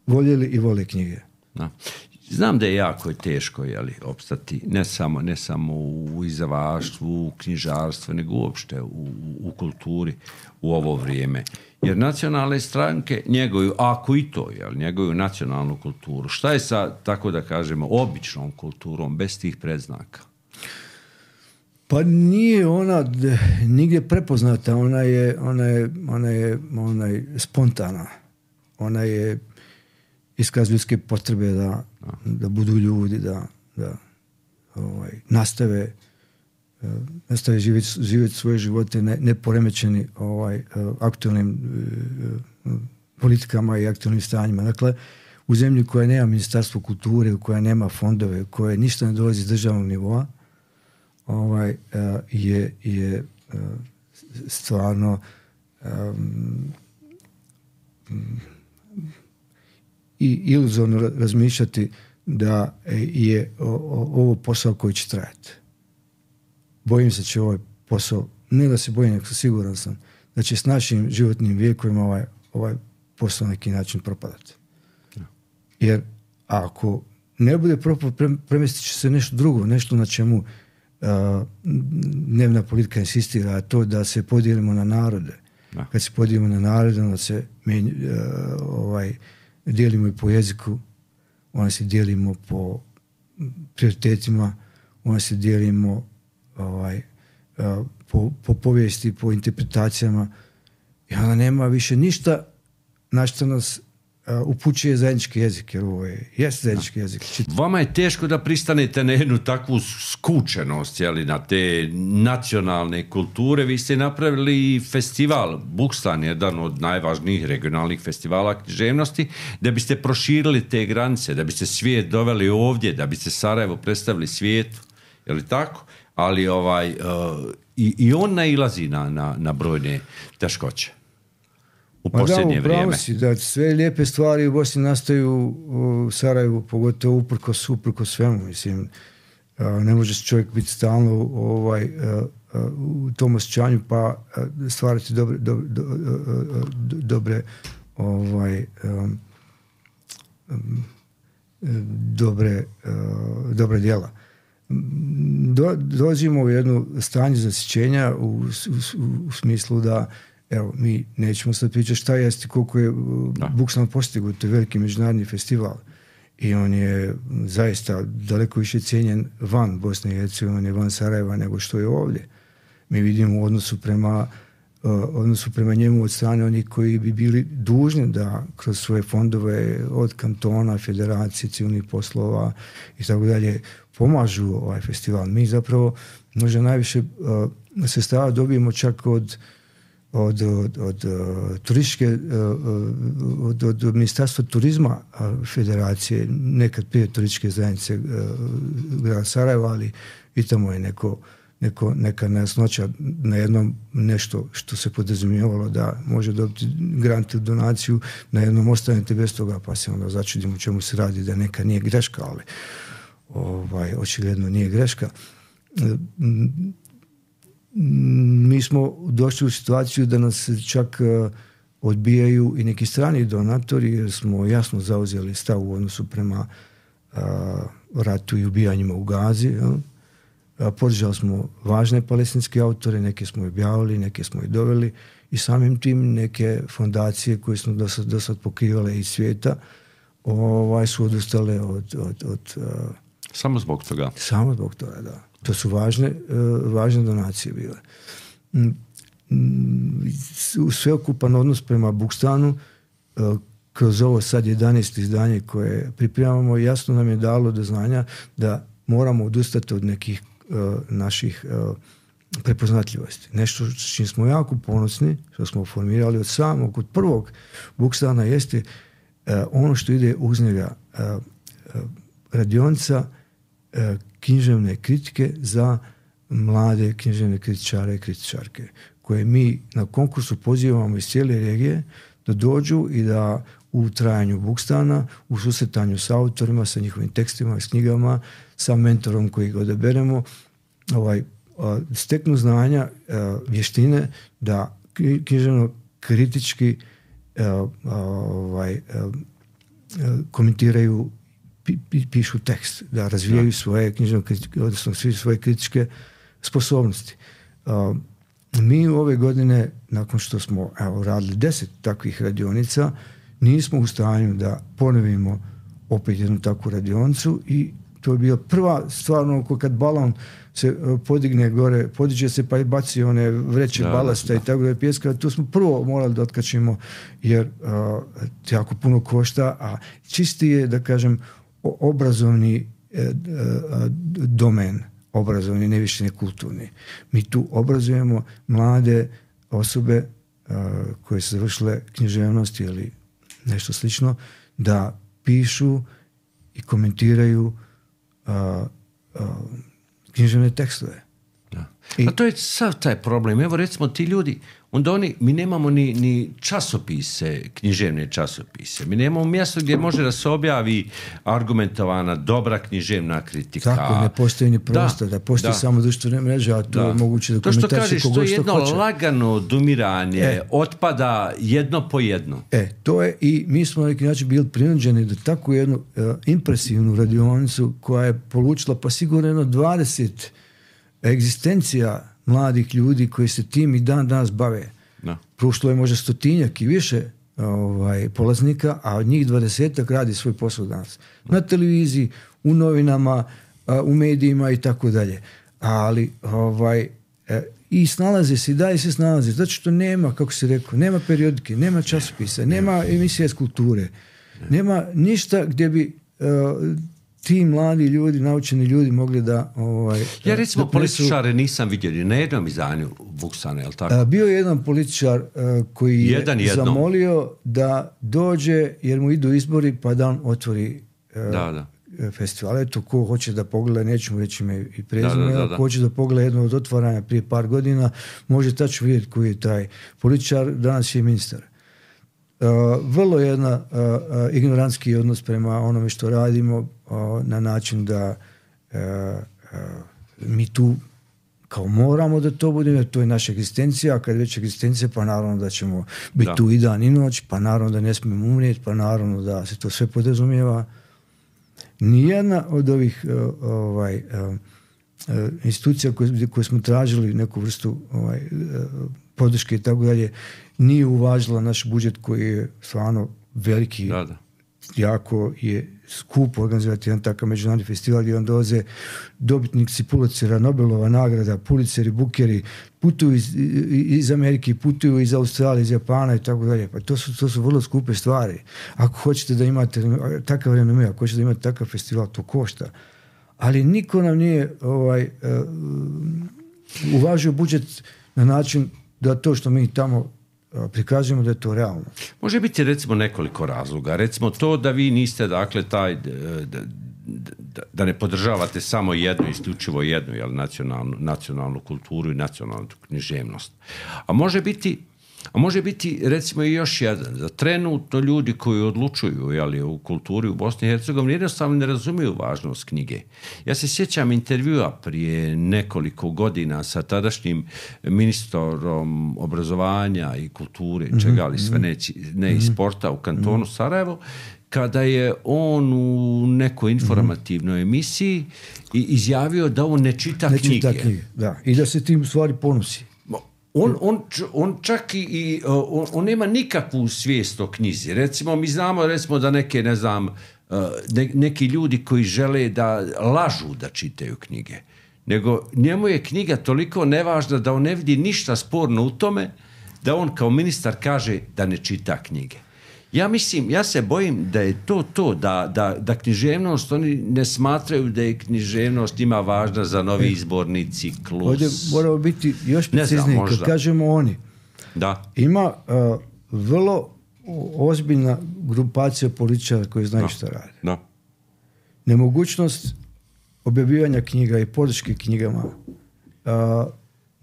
S2: voljeli i vole knjige.
S1: Da. Znam da je jako teško jeli, opstati, ne samo, ne samo u izdavaštvu, u knjižarstvu, nego uopšte u, u, u kulturi u ovo vrijeme. Jer nacionalne stranke njeguju, ako i to, jel, njeguju nacionalnu kulturu. Šta je sa, tako da kažemo, običnom kulturom, bez tih predznaka?
S2: Pa nije ona d- nigdje prepoznata, ona je, ona je, ona je, ona je spontana. Ona je iskaz ljudske potrebe da, da budu ljudi, da, da ovaj, nastave, uh, nastave živjeti, živjeti svoje živote ne, ne poremećeni ovaj, uh, aktualnim uh, politikama i aktualnim stanjima. Dakle, u zemlji koja nema ministarstvo kulture, koja nema fondove, koje ništa ne dolazi iz državnog nivoa, ovaj, uh, je, je uh, stvarno um, i iluzorno razmišljati da je o, o, ovo posao koji će trajati. Bojim se će ovaj posao, ne da se bojim, nego siguran sam da će s našim životnim vijekovima ovaj, ovaj posao na neki način propadati. Jer ako ne bude propao, pre, premjestit će se nešto drugo, nešto na čemu uh, dnevna politika insistira, a to da se podijelimo na narode. Da. Kad se podijelimo na narode, onda se menj, uh, ovaj, dijelimo i po jeziku, onda se dijelimo po prioritetima, onda se dijelimo ovaj, uh, po, po povijesti, po interpretacijama i onda nema više ništa na što nas uh, upućuje zajednički jezik, jer ovo je jest zajednički da. jezik.
S1: Vama je teško da pristanete na jednu takvu skučenost, jeli, na te nacionalne kulture. Vi ste napravili festival, Bukstan, jedan od najvažnijih regionalnih festivala književnosti, da biste proširili te granice, da biste svijet doveli ovdje, da biste Sarajevo predstavili svijetu, je li tako? Ali ovaj, uh, i, i on nailazi na, na, na brojne teškoće u posljednje
S2: da,
S1: vrijeme.
S2: Si, da, sve lijepe stvari u Bosni nastaju u Sarajevu, pogotovo uprkos, uprkos svemu. Mislim, uh, ne može čovjek biti stalno ovaj, uh, uh, u tom osjećanju pa uh, stvarati dobre, do, do, uh, dobre ovaj, um, um, dobre, uh, dobre djela. Do, dolazimo u jedno stanje zasićenja u, u, u smislu da evo, mi nećemo sad pričati šta jeste, koliko je Bukstan postigao, to je veliki međunarodni festival i on je zaista daleko više cijenjen van Bosne i Hercegovine, van Sarajeva nego što je ovdje. Mi vidimo u odnosu prema, uh, odnosu prema njemu od strane onih koji bi bili dužni da kroz svoje fondove od kantona, federacije, civilnih poslova i tako dalje pomažu ovaj festival. Mi zapravo možda najviše uh, sredstava dobijemo čak od od, od, od uh, turističke uh, od, od ministarstva turizma uh, federacije, nekad prije turističke zajednice uh, grada Sarajeva, ali i tamo je neko, neko, neka nejasnoća na jednom nešto što se podrazumijevalo da može dobiti grant ili donaciju, na jednom ostanete bez toga, pa se onda začudimo čemu se radi, da neka nije greška, ali ovaj, očigledno nije greška. Mi smo došli u situaciju da nas čak uh, odbijaju i neki strani donatori, jer smo jasno zauzeli stav u odnosu prema uh, ratu i ubijanjima u Gazi. Uh, podržali smo važne palestinske autore, neke smo objavili, neke smo i doveli i samim tim neke fondacije koje smo do sad, do sad pokrivale iz svijeta ovaj, su odustale od... od, od uh,
S1: samo zbog toga?
S2: Samo zbog toga, da. To su važne, uh, važne donacije bile. U sveokupan odnos prema Bukstanu, uh, kroz ovo sad jedanaesto izdanje koje pripremamo, jasno nam je dalo do znanja da moramo odustati od nekih uh, naših uh, prepoznatljivosti. Nešto s čim smo jako ponosni, što smo formirali od samog, od prvog Bukstana, jeste uh, ono što ide uz njega, uh, uh, radionica uh, književne kritike za mlade književne kritičare i kritičarke, koje mi na konkursu pozivamo iz cijele regije da dođu i da u trajanju Bukstana, u susretanju s autorima, sa njihovim tekstima, s knjigama, sa mentorom koji ga odaberemo, ovaj, steknu znanja, vještine da književno kritički ovaj, komentiraju, pišu tekst, da razvijaju da. svoje književno, odnosno svi svoje kritičke sposobnosti. Mi ove godine, nakon što smo evo, radili deset takvih radionica, nismo u stanju da ponovimo opet jednu takvu radionicu i to je bila prva stvarno, kad balon se podigne gore, podiže se pa i baci one vreće da, balasta da, da. i tako da je pjeska, to smo prvo morali da otkačimo jer uh, jako puno košta, a čisti je, da kažem, obrazovni uh, uh, domen, obrazovni, ne više ne kulturni. Mi tu obrazujemo mlade osobe uh, koje su završile književnost ili nešto slično, da pišu i komentiraju uh, uh, književne tekstove.
S1: Da. I, a to je sav taj problem. Evo recimo ti ljudi, onda oni, mi nemamo ni, ni časopise, književne časopise. Mi nemamo mjesto gdje može da se objavi argumentovana, dobra književna kritika.
S2: Tako, ne postoji ni prostor, da, da postoji da. samo društvene mreže, a to da. je moguće da komentariše kogo što hoće. To što kažeš, to je jedno hoće. lagano
S1: odumiranje, e, otpada jedno po jedno.
S2: E, to je i mi smo na neki način bili prinuđeni da takvu jednu uh, impresivnu radionicu koja je polučila pa sigurno jedno dvadeset egzistencija mladih ljudi koji se tim i dan danas bave. No. Prošlo je možda stotinjak i više ovaj, polaznika, a od njih dvadesetak radi svoj posao danas. No. Na televiziji, u novinama, u medijima i tako dalje. Ali ovaj, i snalaze se, i dalje se snalaze, zato što nema, kako se rekao, nema periodike, nema časopisa, nema emisija iz kulture, nema ništa gdje bi uh, ti mladi ljudi, naučeni ljudi mogli da... Ovaj,
S1: ja recimo političare nisam vidio na jednom izdanju Vuksana, je li tako?
S2: A, bio je jedan političar uh, koji jedan je jedno. zamolio da dođe, jer mu idu izbori, pa da on otvori uh, da, da. festival. Eto, ko hoće da pogleda, neću mu reći ime i prezime, da, da, da, da. ko hoće da pogleda jedno od otvaranja prije par godina, može tačno vidjeti koji je taj političar, danas je ministar. Uh, vrlo jedna uh, uh, ignorantski odnos prema onome što radimo uh, na način da uh, uh, mi tu kao moramo da to budemo, to je naša egzistencija, a kad je već egzistencija, pa naravno da ćemo biti da. tu i dan i noć, pa naravno da ne smijemo umrijeti, pa naravno da se to sve podrazumijeva. Nijedna od ovih uh, ovaj, uh, uh, institucija koje, koje smo tražili neku vrstu ovaj, uh, podrške i tako dalje, nije uvažila naš budžet koji je stvarno veliki, da, da. jako je skupo organizirati jedan takav međunarodni festival gdje on dolaze dobitnici Pulitzera, Nobelova nagrada, Pulitzeri, Bukeri, putuju iz, iz Amerike, putuju iz Australije, iz Japana i tako dalje. Pa to su, to su vrlo skupe stvari. Ako hoćete da imate takav renome, ako hoćete da imate takav festival, to košta. Ali niko nam nije ovaj, uh, uvažio budžet na način da to što mi tamo prikazujemo da je to realno.
S1: Može biti recimo nekoliko razloga. Recimo to da vi niste dakle taj da, da, da ne podržavate samo jednu, isključivo jednu, jel, nacionalnu, nacionalnu kulturu i nacionalnu književnost. A može biti A može biti, recimo, i još jedan, da trenutno ljudi koji odlučuju, jeli, u kulturi u Bosni i Hercegovini jednostavno ne razumiju važnost knjige. Ja se sjećam intervjua prije nekoliko godina sa tadašnjim ministrom obrazovanja i kulture, mm-hmm. čega li sve ne, ne i sporta u kantonu mm-hmm. Sarajevo, kada je on u nekoj informativnoj emisiji izjavio da on ne čita ne knjige.
S2: Čita knjige, da. I da se tim u stvari ponosi.
S1: On, on, on čak i on, on nema nikakvu svijest o knjizi. Recimo, mi znamo recimo da neke, ne znam, ne, neki ljudi koji žele da lažu da čitaju knjige. Nego njemu je knjiga toliko nevažna da on ne vidi ništa sporno u tome da on kao ministar kaže da ne čita knjige. Ja mislim, ja se bojim da je to to, da, da, da književnost, oni ne smatraju da je književnost ima važna za novi izborni ciklus.
S2: Ovdje moramo biti još precizniji, kad kažemo oni.
S1: Da.
S2: Ima uh, vrlo ozbiljna grupacija političara koji znaju
S1: da.
S2: šta rade.
S1: Da.
S2: Nemogućnost objavljivanja knjiga i podrške knjigama, uh,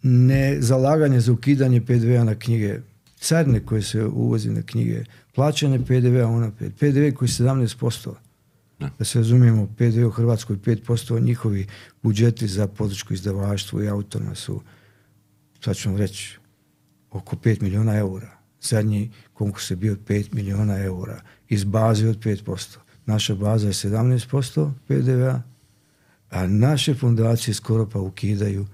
S2: ne zalaganje za ukidanje P D V-a na knjige, carine koje se uvozi na knjige, plaćanje P D V-a unaprijed, P D V koji je sedamnaest posto. Da, da se razumijemo, P D V u Hrvatskoj pet posto, njihovi budžeti za podršku izdavaštvu i autorima su, sad ću vam reći, oko pet milijuna eura. Zadnji konkurs je bio pet milijuna eura iz baze od pet posto. Naša baza je sedamnaest posto P D V-a, a naše fondacije skoro pa ukidaju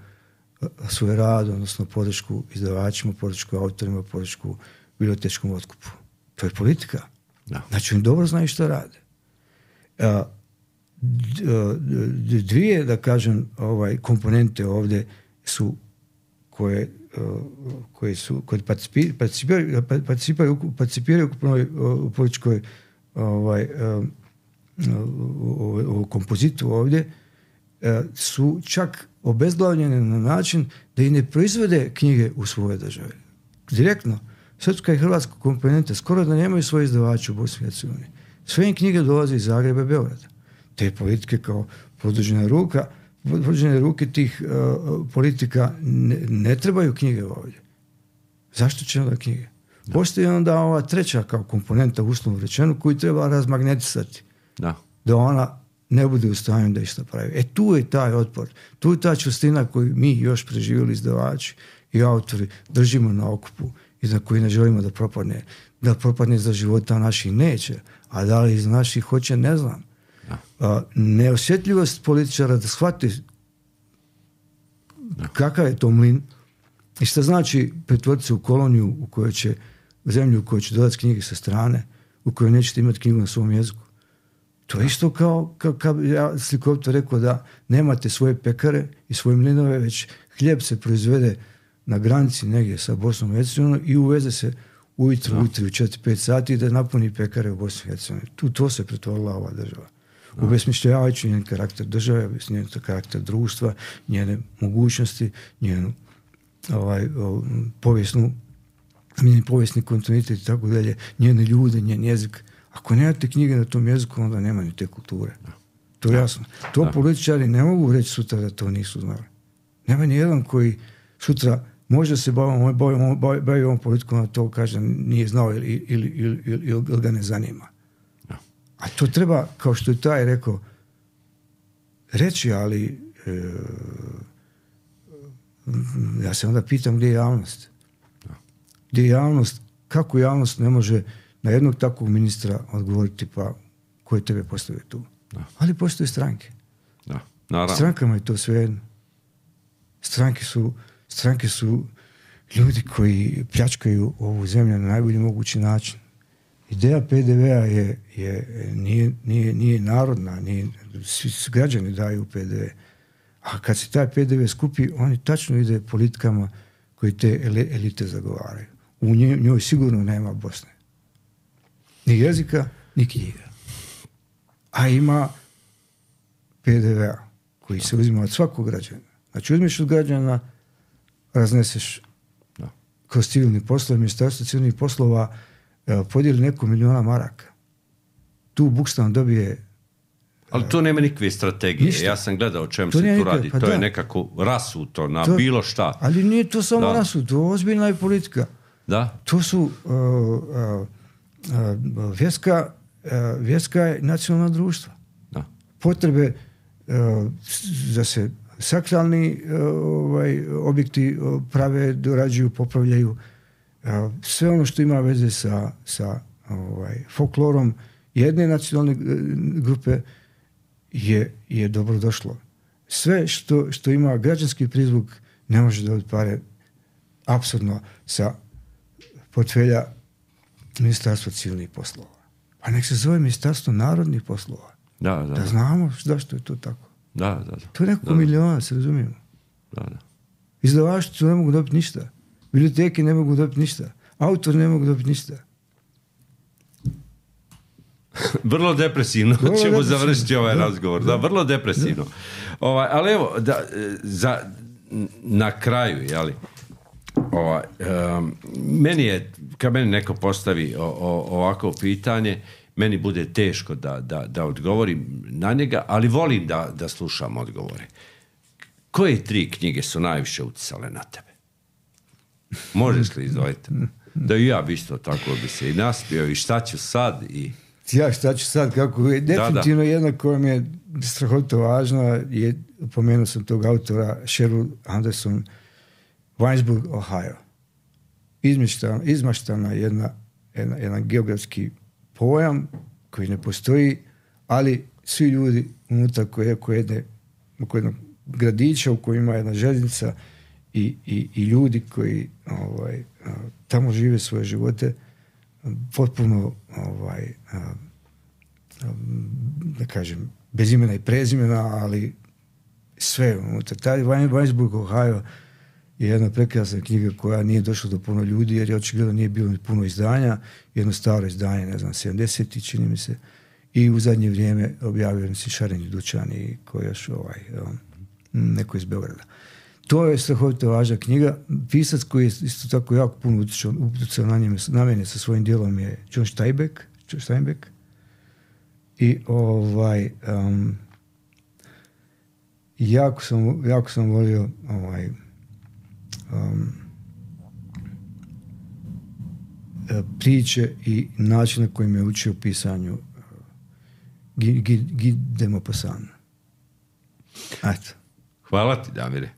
S2: svoj rad, odnosno podršku izdavačima, podršku autorima, podršku bibliotečkom otkupu. To je politika.
S1: Da.
S2: Znači, oni dobro znaju što rade. A, dvije, da kažem, ovaj, komponente ovdje su koje, koje su koje participiraju, participiraju, participiraju u političkoj ovaj, u kompozitu ovdje, su čak obezglavljene na način da i ne proizvode knjige u svojoj državi. Direktno, srpska i hrvatska komponenta skoro da nemaju svoje izdavače u Bosni i Hercegovini. Sve im knjige dolaze iz Zagreba i Beograda. Te politike kao produžena ruka, produžene ruke tih uh, politika ne, ne trebaju knjige ovdje. Zašto će onda knjige? Da. Postoji onda ova treća kao komponenta, uslovno rečeno, koju treba razmagnetisati.
S1: Da.
S2: Da ona ne bude u stanju da išta pravi. E tu je taj otpor. Tu je ta čustina koju mi još preživjeli izdavači i autori držimo na okupu i za koji ne želimo da propadne. Da propadne za života naših neće, a da li iz naših hoće, ne znam. A, neosjetljivost političara da shvati da. Kakav je to mlin i šta znači pretvoriti se u koloniju u kojoj će, u zemlju u kojoj će dodati knjige sa strane, u kojoj nećete imati knjigu na svom jeziku. To je isto kao, kao, kao ja slikovito rekao da nemate svoje pekare i svoje mlinove, već hljeb se proizvede na granici negdje sa Bosnom i Hercegovinom i uveze se ujutro, ujutro u četiri pet sati da napuni pekare u Bosni i Hercegovini. Tu to se pretvorila ova država. Obesmišljavajući njen karakter države, njen karakter društva, njene mogućnosti, njenu ovaj, o, povijesnu, njen povijesni kontinuitet i tako dalje, njene ljude, njen jezik. Ako nemate knjige na tom jeziku, onda nema ni te kulture. To je jasno. To da. Političari ne mogu reći sutra da to nisu znali. Nema ni jedan koji sutra može se baviti bavi, bavi, bavi ovom politikom, a to kaže nije znao ili, ili, ili, ili, ili ga ne zanima. A to treba, kao što je taj rekao, reći, ali e, ja se onda pitam gdje je javnost. Gdje je javnost, kako javnost ne može na jednog takvog ministra odgovoriti pa koji tebe postavio tu. Da. Ali postoje stranke.
S1: Da. Naravno.
S2: Strankama je to svejedno. Stranke su, stranke su ljudi koji pljačkaju ovu zemlju na najbolji mogući način. Ideja P D V-a je, je, nije, nije, nije narodna, nije, svi građani daju P D V. A kad se taj P D V skupi, oni tačno ide politikama koji te elite zagovaraju. U njoj, njoj sigurno nema Bosne. Ni jezika, ni knjiga. A ima P D V-a koji se uzima od svakog građana. Znači uzmeš od građana, razneseš no. kroz civilni poslov, ministarstvo civilnih poslova podijeli neko milijuna maraka. Tu Bukstan dobije...
S1: Ali to nema nikakve strategije. Ništa. Ja sam gledao o čem to se tu nikad, radi. Pa to da. je nekako rasuto na to, bilo šta.
S2: Ali nije to samo da. rasuto, to je ozbiljna je politika.
S1: Da.
S2: To su uh, uh, uh, vjerska, uh, vjerska nacionalna društva.
S1: Da.
S2: Potrebe uh, da se sakralni uh, ovaj, objekti uh, prave, dorađuju, popravljaju. Sve ono što ima veze sa, sa ovaj, folklorom jedne nacionalne grupe je, je dobro došlo. Sve što, što ima građanski prizvuk ne može dobiti pare apsurdno sa portfelja Ministarstva civilnih poslova. Pa nek se zove Ministarstvo narodnih poslova.
S1: Da, da,
S2: da znamo zašto je to tako.
S1: Da, da, da.
S2: To je neko milijuna, se razumijemo.
S1: Da, da.
S2: Izdavaštvo ne mogu dobiti ništa. Biblioteke ne mogu dobiti ništa. Autori ne mogu dobiti ništa.
S1: Vrlo depresivno vrlo ćemo depresivno. završiti ovaj da, razgovor. Da, da, vrlo depresivno. Da. Ovaj, ali evo, da, za, na kraju, jeli, ovaj, um, meni je, kad meni neko postavi o, o, ovako pitanje, meni bude teško da, da, da odgovorim na njega, ali volim da, da slušam odgovore. Koje tri knjige su najviše uticale na tebe? Možeš li izdvojiti? Da i ja bi isto tako bi se i naspio i šta ću sad i...
S2: Ja šta ću sad, kako je definitivno da, da. jedna koja mi je strahovito važna, je, pomenuo sam tog autora, Sheryl Anderson, Winesburg, Ohio. Izmištana, izmaštana jedna, jedna, jedan geografski pojam koji ne postoji, ali svi ljudi unutar koje, koje jedne, oko jednog gradića u kojem ima jedna željeznica i, i, i ljudi koji ovaj, tamo žive svoje živote potpuno ovaj, da kažem, bez imena i prezimena, ali sve unutar. Taj Winesburg, Ohio je jedna prekrasna knjiga koja nije došla do puno ljudi, jer je očigledno nije bilo puno izdanja, jedno staro izdanje, ne znam, sedamdeset čini mi se, i u zadnje vrijeme objavio se Šareni Dućani, koji je još ovaj, um, neko iz Beograda. To je strahovito važna knjiga. Pisac koji je isto tako jako puno utjecao na, na mene sa svojim djelom je John Steinbeck, John Steinbeck. I ovaj um, jako sam, jako sam volio ovaj um, priče i način na koji me učio pisanju uh, Guy de Maupassant. Eto.
S1: Hvala ti, Damire.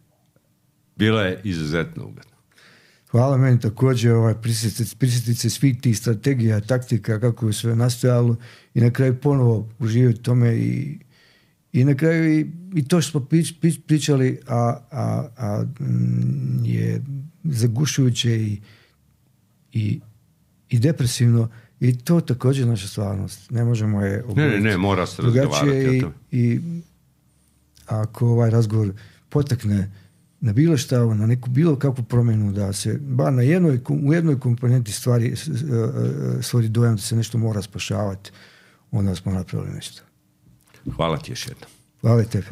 S1: Bilo je izuzetno ugodno.
S2: Hvala meni također, ovaj, prisjetiti se svih tih strategija, taktika, kako je sve nastojalo i na kraju ponovo uživati tome i, i na kraju i, i to što smo prič, prič, pričali, a, a, a m, je zagušujuće i, i, i depresivno i to također naša stvarnost. Ne možemo je
S1: obaviti. Ne, ne, ne, mora se razgovarati
S2: i, i ako ovaj razgovor potakne na bilo šta, na neku bilo kakvu promjenu, da se bar na jednoj, u jednoj komponenti stvari stvori dojam da se nešto mora spašavati, onda smo napravili nešto.
S1: Hvala ti još jednom.
S2: Hvala tebi.